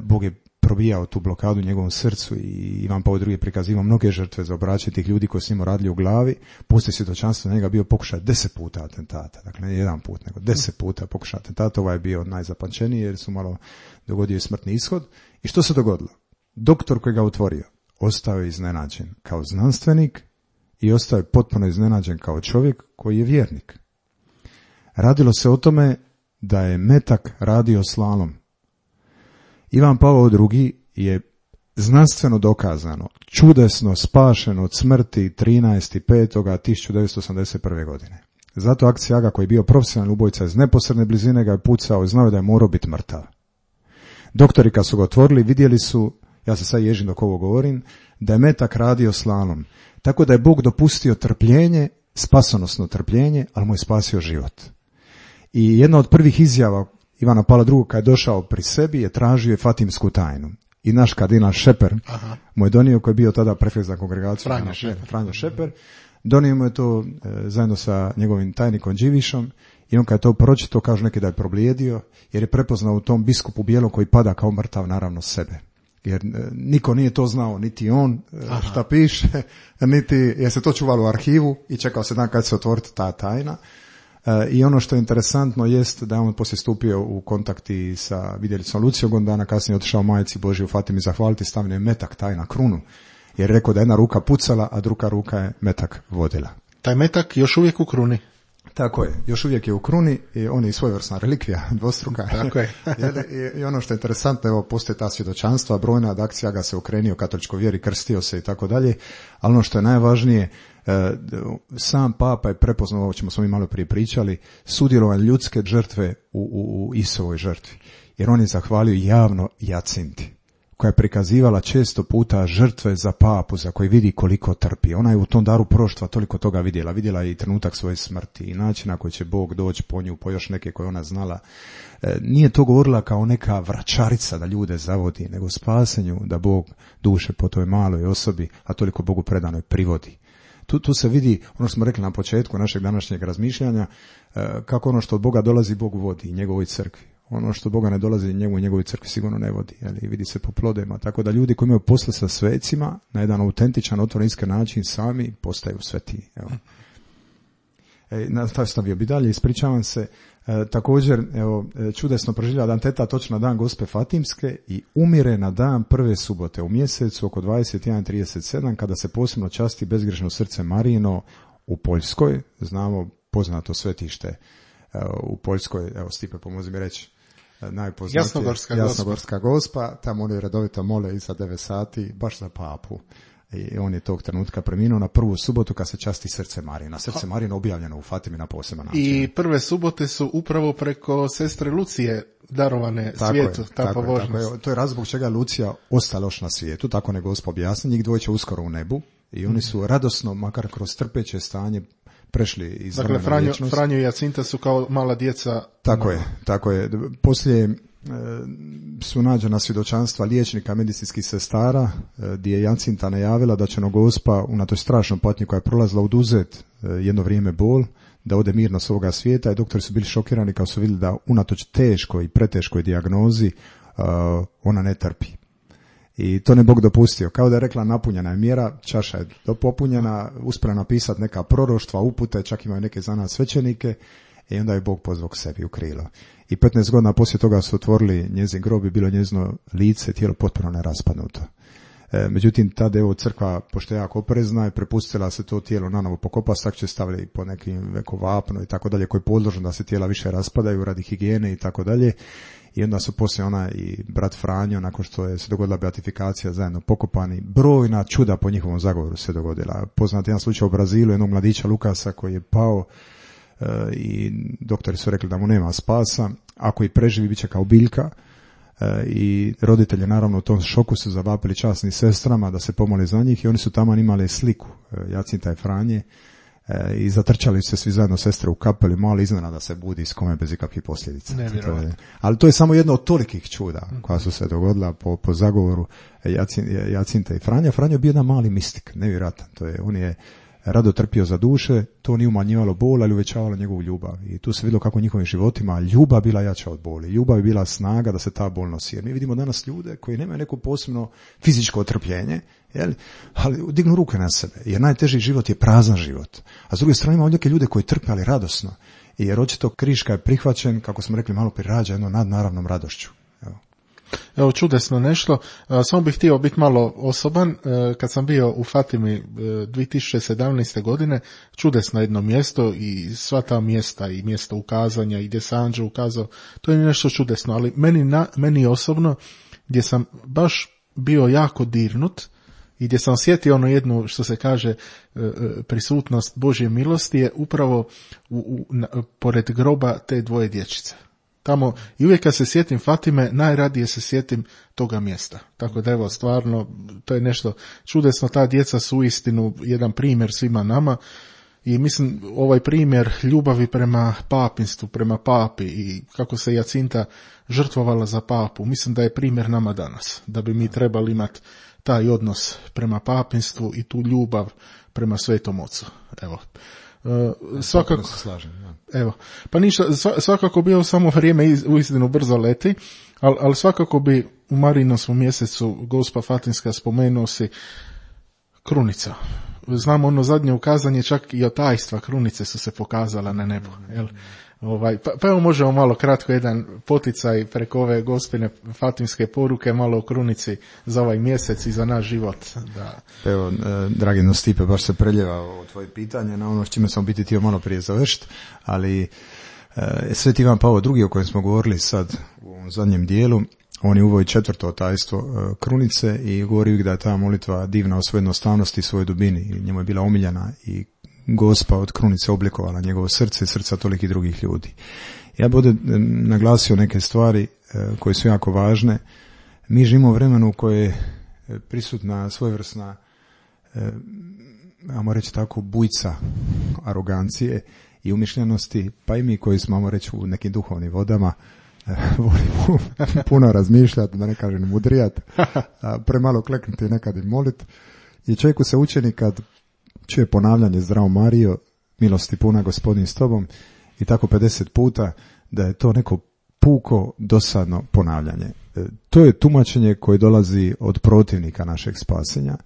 Bog je probijao tu blokadu u njegovom srcu i Ivan Pavao II je prikazivao mnoge žrtve za obraćanje tih ljudi koji su njemu radili u glavi. Poslije svjedočanstva na njega bio pokušaj 10 puta atentata. Dakle, ne jedan put, nego 10 puta pokušaj atentata. Ovaj je bio najzapančeniji jer su malo dogodio je smrtni ishod. I što se dogodilo? Doktor koji ga otvorio ostao je iznenađen kao znanstvenik i ostao je potpuno iznenađen kao čovjek koji je vjernik. Radilo se o tome da je metak radio slalom. Ivan Pavao II je znanstveno dokazano, čudesno spašen od smrti 13.5.1981. godine. Zato Akcijaga, koji je bio profesionalni ubojica iz neposredne blizine, ga je pucao i znao je da je morao biti mrtav. Doktori kad su ga otvorili vidjeli su, ja se sad ježim dok ovo govorim, da je metak radio slalom. Tako da je Bog dopustio trpljenje, spasonosno trpljenje, ali mu je spasio život. I jedna od prvih izjava Ivana Pavla II kad je došao pri sebi je tražio fatimsku tajnu. I naš kardinal Šeper mu je donio, koji je bio tada prefekt za kongregaciju, Franjo Šeper, donio mu je to zajedno sa njegovim tajnikom Đivišom, i on kad je to pročitao, kažu neki da je problijedio, jer je prepoznao u tom biskupu bijelom koji pada kao mrtav naravno sebe. Jer niko nije to znao, niti on šta piše, niti je se to čuvalo u arhivu i čekao se dan kad se otvoriti ta tajna. I ono što je interesantno jest da je on poslije stupio u kontakti sa vidjelicom Lucijom, godinu dana kasnije otišao majci Božji u Fatimi zahvaliti, stavio je metak taj na krunu, jer je rekao da jedna ruka pucala, a druga ruka je metak vodila. Taj metak još uvijek u kruni. Tako je, još uvijek je u kruni i on je svojevrsna relikvija, dvostruka. Tako je. I ono što je interesantno, evo, postoje ta svjedočanstva, brojna od Akcijaga se okrenio katoličkoj vjeri, krstio se i tako dalje, ali ono što je najvažnije, sam Papa je prepoznao, ovo ćemo smo mi malo prije pričali, sudjelovanje ljudske žrtve u Isovoj žrtvi. Jer on je zahvalio javno Jacinti, koja je prikazivala često puta žrtve za papu, za koji vidi koliko trpi. Ona je u tom daru proštva toliko toga vidjela. Vidjela je i trenutak svoje smrti i način na koji će Bog doći po nju, po još neke koje ona znala. Nije to govorila kao neka vračarica da ljude zavodi, nego spasenju da Bog duše po toj maloj osobi, a toliko Bogu predanoj, privodi. Tu se vidi, ono što smo rekli na početku našeg današnjeg razmišljanja, kako ono što od Boga dolazi, Bog vodi njegovoj crkvi. Ono što Boga ne dolazi, njegovoj crkvi sigurno ne vodi. Vidi se po plodima. Tako da ljudi koji imaju posla sa svecima, na jedan autentičan, otvoren, iskren način, sami postaju svetiji. Evo. Nastavio bi dalje, ispričavam se. Također, čudesno proživlja dan teta točno na dan Gospe Fatimske i umire na dan prve subote u mjesecu oko 21:37 kada se posebno časti bezgrešno srce Marijino u Poljskoj. Znamo poznato svetište u Poljskoj, evo Stipe pomozi mi reći, najpoznatije Jasnogorska Gospa, tamo oni redovito mole iza 9 sati baš za papu. I on je tog trenutka preminuo na prvu subotu kad se časti srce Marina. Srce Marina objavljeno u Fatimi na poseban način. I prve subote su upravo preko sestre Lucije darovane svijetu. Tako je. To je razlog čega je Lucija ostala još na svijetu, tako ne Gospa objasni. Njih dvoje će uskoro u nebu i oni su radosno, makar kroz trpeće stanje, prešli iz vremena Dakle, vječnosti. Franjo i Jacinta su kao mala djeca. Tako je. Poslije su nađena svjedočanstva liječnika, medicinskih sestara, gdje je Jacinta najavila da će Gospa unatoč strašnom patnji koja je prolazila oduzet jedno vrijeme bol, da ode mirno s ovoga svijeta, i doktori su bili šokirani kao su vidjeli da unatoč teškoj i preteškoj dijagnozi ona ne trpi. I to ne Bog dopustio. Kao da je rekla, napunjena je mjera, čaša je popunjena, uspjela napisati neka proroštva, upute, čak imaju neke za nas svećenike, i onda je Bog pozvao k sebi u krilo. I 15 godina poslije toga su otvorili njezin grob i bilo njezino lice, tijelo potpuno neraspadnuto. Međutim, tada je crkva, pošto je jako oprezna, je prepustila se to tijelo nanovo pokopati, tako će stavili po nekim vekovapno i tako dalje, koji je podložen da se tijela više raspadaju radi higijene i tako dalje. I onda su poslije ona i brat Franjo, nakon što je se dogodila beatifikacija, zajedno pokopani. Brojna čuda po njihovom zagovoru se dogodila. Poznat jedan slučaj u Brazilu, jednog mladića Lukasa koji je pao i doktori su rekli da mu nema spasa. Ako i preživi, bit će kao biljka. I roditelji naravno u tom šoku su zavapili časnim sestrama da se pomole za njih i oni su tamo imali sliku Jacinta i Franje i zatrčali se svi zajedno sestre u kapeli, mali iznenada se budi s kome bez ikakvih posljedica. Ali to je samo jedno od tolikih čuda koja su se dogodila po zagovoru Jacinta i Franja. Franjo je bio jedan mali mistik, nevjerojatan. On je rado trpio za duše, to nije umanjivalo bol, ali uvećavalo njegovu ljubav. I tu se vidjelo kako u njihovim životima ljubav bila jača od boli. Ljubav je bila snaga da se ta bol nosi. Jer mi vidimo danas ljude koji nemaju neko posebno fizičko trpljenje, ali dignu ruke na sebe. Jer najteži život je prazan život. A s druge strane imamo neke ljude koji trpe, ali radosno. Jer očito kriška je prihvaćen, kako smo rekli malo prije, rađa jednom nadnaravnom radošću. Evo, čudesno nešto. Samo bih htio biti malo osoban. Kad sam bio u Fatimi 2017. godine, čudesno jedno mjesto i sva ta mjesta i mjesto ukazanja i gdje se Anđeo ukazao, to je nešto čudesno. Ali meni osobno, gdje sam baš bio jako dirnut i gdje sam osjetio ono jednu, što se kaže, prisutnost Božje milosti, je upravo pored groba te dvoje dječice. Tamo, i uvijek kad se sjetim Fatime, najradije se sjetim toga mjesta. Tako da evo, stvarno, to je nešto čudesno. Ta djeca su uistinu jedan primjer svima nama i mislim, ovaj primjer ljubavi prema papinstvu, prema papi i kako se Jacinta žrtvovala za papu, mislim da je primjer nama danas. Da bi mi trebali imati taj odnos prema papinstvu i tu ljubav prema Svetom Ocu. Evo. Svakako se slažem, ja. Evo, pa ništa, svakako bi ovo samo vrijeme uistinu brzo leti, ali svakako bi u Marijinom mjesecu Gospa Fatimska spomenuo si krunica. Znamo ono zadnje ukazanje, čak i od tajstva krunice su se pokazala na nebu, jel? Pa evo možemo malo kratko jedan poticaj preko ove Gospine Fatimske poruke, malo o krunici za ovaj mjesec i za naš život. Da. Evo, dragi Stipe, baš se preljeva o tvoje pitanje na ono s čime sam biti htio malo prije završiti, ali Sveti Ivan Pavao II o kojem smo govorili sad u ovom zadnjem dijelu, on je uveo 4. tajstvo krunice i govori uvijek da je ta molitva divna o svojoj jednostavnosti i svojoj dubini i njemu je bila omiljena i Gospa od krunice oblikovala njegovo srce i srca tolikih drugih ljudi. Ja bih ovdje naglasio neke stvari koje su jako važne. Mi živimo u vremenu u koje je prisutna svojevrsna, ajmo reći tako, bujca arogancije i umišljenosti, pa i mi koji smo, ajmo reći, u nekim duhovnim vodama, volimo puno razmišljati, da ne kažem mudrijati, premalo kleknuti nekad i moliti. I čovjeku se učini kad čuje ponavljanje Zdravo Marijo, milosti puna Gospodin s tobom i tako 50 puta, da je to neko puko dosadno ponavljanje. To je tumačenje koje dolazi od protivnika našeg spasenja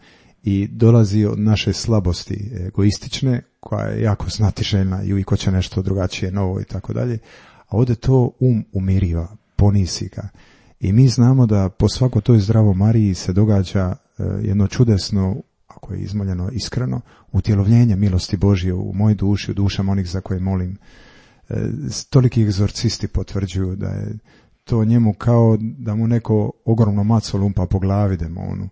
i dolazi od naše slabosti egoistične, koja je jako znatiželjna i uvijek hoće nešto drugačije, novo i tako dalje. A ovdje to umiriva, ponisi ga. I mi znamo da po svako toj Zdravo Mariji se događa jedno čudesno, ako je izmoljeno iskreno, utjelovljenje milosti Božje u mojoj duši, u dušama onih za koje molim. Toliki egzorcisti potvrđuju da je to njemu kao da mu neko ogromno maco lumpa po glavi demonu.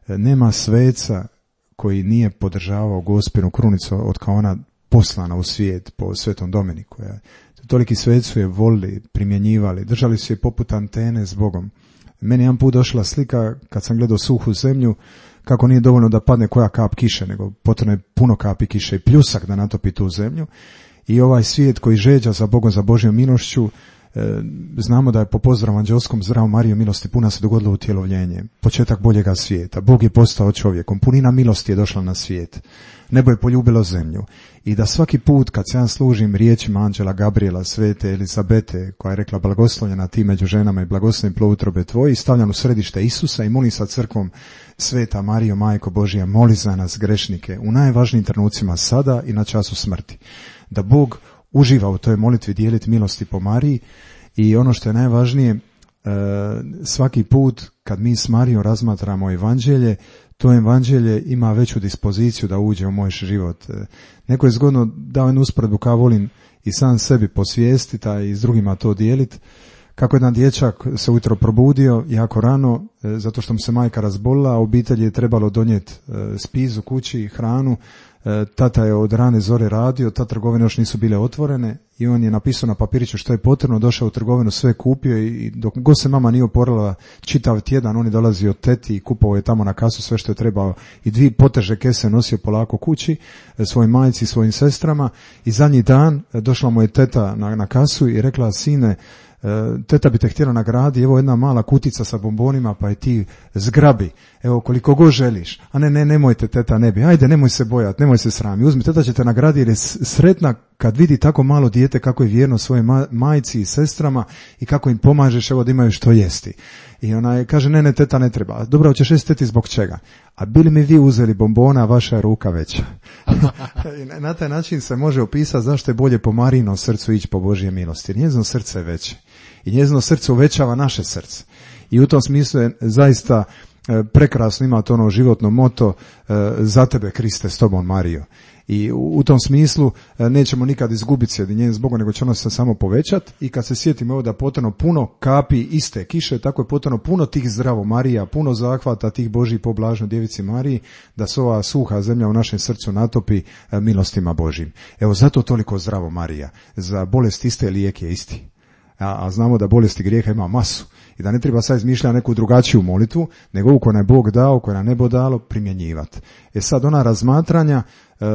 Nema sveca koji nije podržavao Gospinu krunicu od kao ona poslana u svijet po Svetom Dominiku. Toliki sveci su je volili, primjenjivali, držali su je poput antene s Bogom. Meni jedan put došla slika kad sam gledao suhu zemlju, kako nije dovoljno da padne koja kap kiše, nego potrebno je puno kapi kiše i pljusak da natopi tu zemlju. I ovaj svijet koji žeđa za Bogom, za Božjom milošću, znamo da je po pozdravu anđelskom Zdravo Marijo, milosti puna se dogodilo utjelovljenje, početak boljega svijeta. Bog je postao čovjekom, punina milosti je došla na svijet, nebo je poljubilo zemlju. I da svaki put kad se ja služim riječima anđela Gabriela, svete Elizabete, koja je rekla blagoslovljena ti među ženama i blagoslovljen plod utrobe tvoje, i stavljam u središte Isusa i molim sa crkvom: Sveta Marijo, Majko Božja, moli za nas grešnike u najvažnijim trenucima sada i na času smrti. Da Bog uživa u toj molitvi dijeliti milosti po Mariji. I ono što je najvažnije, svaki put kad mi s Marijom razmatramo evanđelje, to evanđelje ima veću dispoziciju da uđe u moj život. Neko je zgodno dao jednu usporedbu, kao volim i sam sebi posvijestiti, a i s drugima to dijeliti. Kako jedan dječak se ujutro probudio jako rano, zato što mu se majka razbolila, a obitelji je trebalo donijeti spizu kući, hranu. Tata je od rane zore radio, ta trgovine još nisu bile otvorene i on je napisao na papiriću što je potrebno, došao u trgovinu, sve kupio i dok god se mama nije oporila čitav tjedan, on je dolazio od teti i kupovao je tamo na kasu sve što je trebao i 2 poteže kese nosio polako kući svojoj majci i svojim sestrama. I zadnji dan došla mu je teta na kasu i rekla: sine, teta bi te htjela nagraditi, evo jedna mala kutica sa bombonima, pa je ti zgrabi, evo koliko god želiš. A nemojte teta, ne bi, ajde nemoj se bojati, nemoj se srami, uzmi, teta će te nagraditi jer je sretna kad vidi tako malo dijete kako je vjerno svoje majci i sestrama i kako im pomažeš, evo da imaju što jesti. I ona je kaže: ne teta ne treba. Dobro, hoćeš jesti teti zbog čega? A bili mi vi uzeli bombona, vaša je ruka veća. I na taj način se može opisati zašto je bolje po Marijinom srcu ići po Božje milosti. Njezino srce je veće i njezino srce uvećava naše srce. I u tom smislu je zaista prekrasno, ima to ono životno moto: za tebe Kriste, s tobom Marijo. I u tom smislu nećemo nikad izgubiti sjedinjenje s Bogom, nego će ono se samo povećati. I kad se sjetimo evo da je potrebno puno kapi iste kiše, tako je potrebno puno tih Zdravo Marija, puno zahvata tih Božjih po blažnoj djevici Mariji, da se ova suha zemlja u našem srcu natopi milostima Božjim. Evo zato toliko Zdravo Marija. Za bolest iste lijek je isti. A znamo da bolesti grijeha ima masu i da ne treba sad izmišljati neku drugačiju molitvu, nego ovu koju nam je Bog dao, koju nam nebo dalo, primjenjivati. Sad ona razmatranja,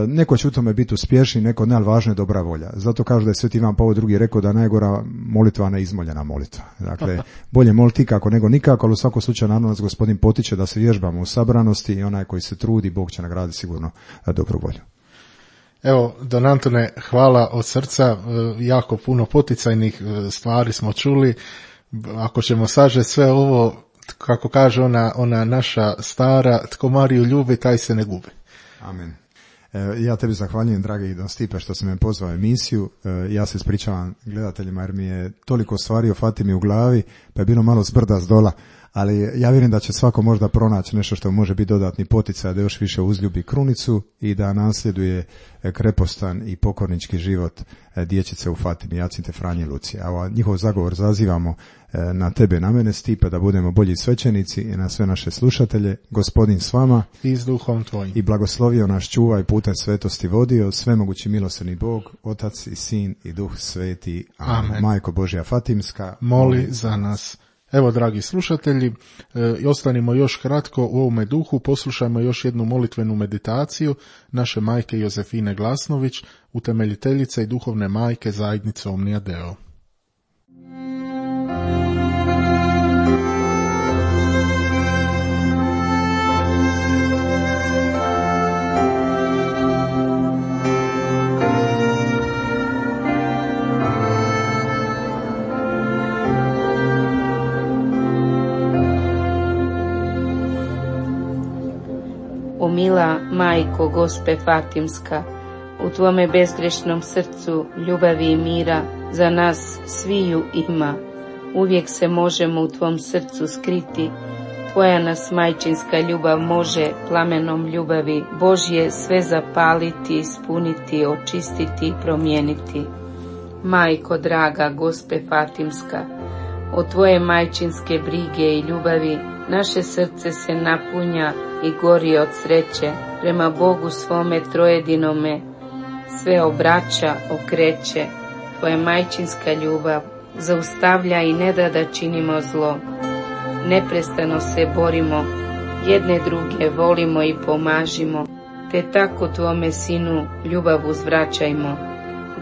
neko će u tome biti uspješni, neko ne, ali važno je dobra volja. Zato kažu da je Sveti Ivan Pavao II rekao da najgora molitva neizmoljena molitva. Dakle, bolje moliti ikako nego nikako, ali u svakom slučaju naravno nas Gospodin potiče da se vježbamo u sabranosti i onaj koji se trudi, Bog će nagraditi sigurno dobru volju. Evo, Don Antone, hvala od srca, jako puno poticajnih stvari smo čuli. Ako ćemo sažeti sve ovo, kako kaže ona naša stara, tko Mariju ljubi, taj se ne gubi. Amen. Ja tebi zahvaljujem, dragi Don Stipe, što si me pozvao u emisiju. Ja se ispričavam gledateljima jer mi je toliko stvari o Fatimi u glavi, pa je bilo malo zbrda s dola. Ali ja vjerujem da će svako možda pronaći nešto što može biti dodatni poticaj da još više uzljubi krunicu i da nasljeduje krepostan i pokornički život dječice u Fatimi, Jacinte, Franje, Lucije. A njihov zagovor zazivamo na tebe, na mene, Stipe, da budemo bolji svećenici i na sve naše slušatelje. Gospodin s vama i s duhom tvojim. I blagoslovio naš čuva i putem svetosti vodio, svemogući milosrdni Bog, Otac i Sin i Duh Sveti. Amen. Majko Božja Fatimska, moli za nas. Evo, dragi slušatelji, ostanimo još kratko u ovome duhu, poslušajmo još jednu molitvenu meditaciju naše majke Jozefine Glasnović, utemeljiteljice i duhovne majke zajednice Omnia Deo. Mila majko Gospe Fatimska, u tvome bezgrešnom srcu ljubavi i mira za nas sviju ima. Uvijek se možemo u tvom srcu skriti, tvoja nas majčinska ljubav može plamenom ljubavi Božje sve zapaliti, ispuniti, očistiti i promijeniti. Majko draga Gospe Fatimska, od tvoje majčinske brige i ljubavi naše srce se napunja i gori od sreće, prema Bogu svome trojedinome sve obraća, okreće. Tvoja majčinska ljubav zaustavlja i ne da činimo zlo. Neprestano se borimo, jedne druge volimo i pomažimo, te tako tvome sinu ljubav uzvraćajmo.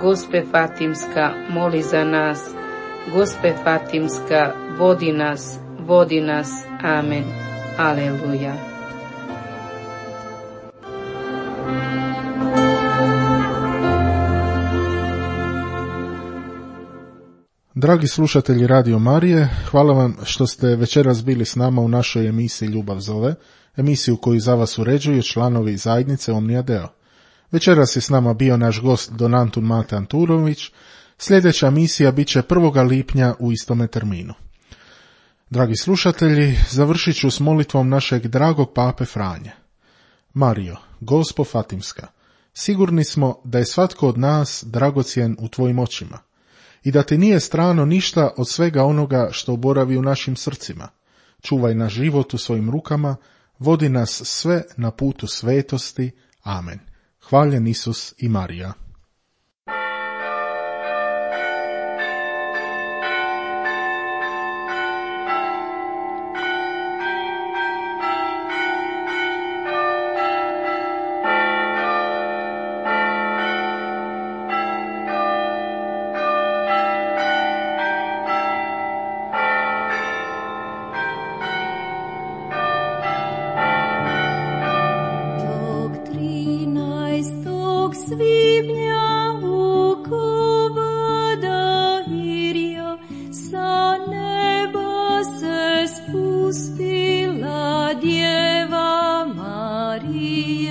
Gospe Fatimska, moli za nas. Gospe Fatimska, vodi nas. Amen. Aleluja. Dragi slušatelji Radio Marije, hvala vam što ste večeras bili s nama u našoj emisiji Ljubav zove, emisiju koju za vas uređuju članovi zajednice Omnia Deo. Večeras je s nama bio naš gost Don Antun Mate Anturović. Sljedeća emisija bit će 1. lipnja u istome terminu. Dragi slušatelji, završit ću s molitvom našeg dragog pape Franje. Marijo, Gospo Fatimska, sigurni smo da je svatko od nas dragocjen u tvojim očima i da ti nije strano ništa od svega onoga što boravi u našim srcima. Čuvaj naš život u svojim rukama, vodi nas sve na putu svetosti. Amen. Hvaljen Isus i Marija. Maria.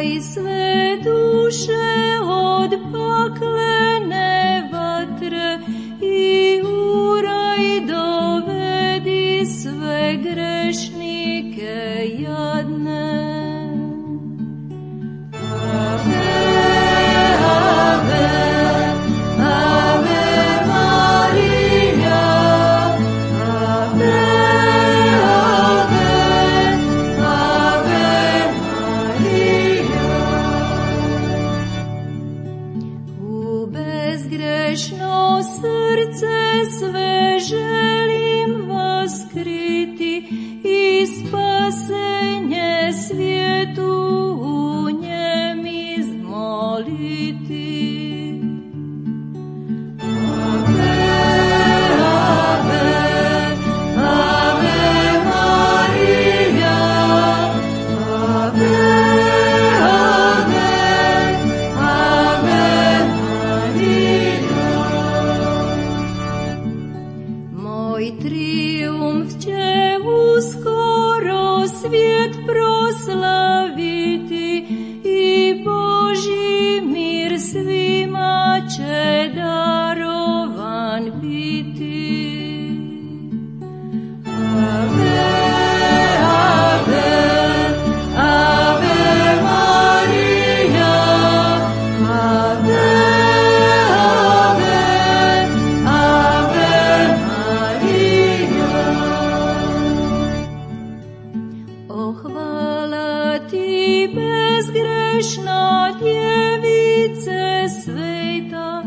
i sve duše od paklene vatre i u raj dovedi sve grešnike jadne. Ave, ave, ave Marija, ave, ave, ave Marija. U bezgrešno srce sve želim vaskriti i spasenje svijetu u njem izmoliti. Ave, ave, ave Marija, ave, ave, ave Marija. Moj trijumf će uskoro svijet proslaviti i Božji mir svima će darovan biti. Ave, ave, ave Marija, ave, ave, ave Marija. O hvala ti bezgrešna djevice sveta,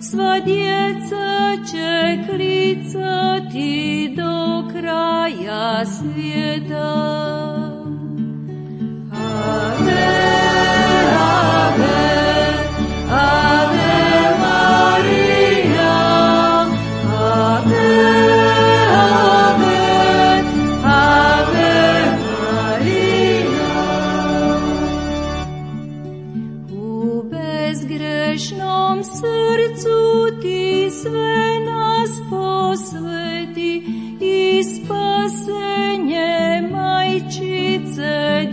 sva djeca će klicati do kraja svijeta. Ave, ave, ave Marija, ave, ave, ave Marija. U bezgrešnom srcu ti sve nas posveti i spasenje majčice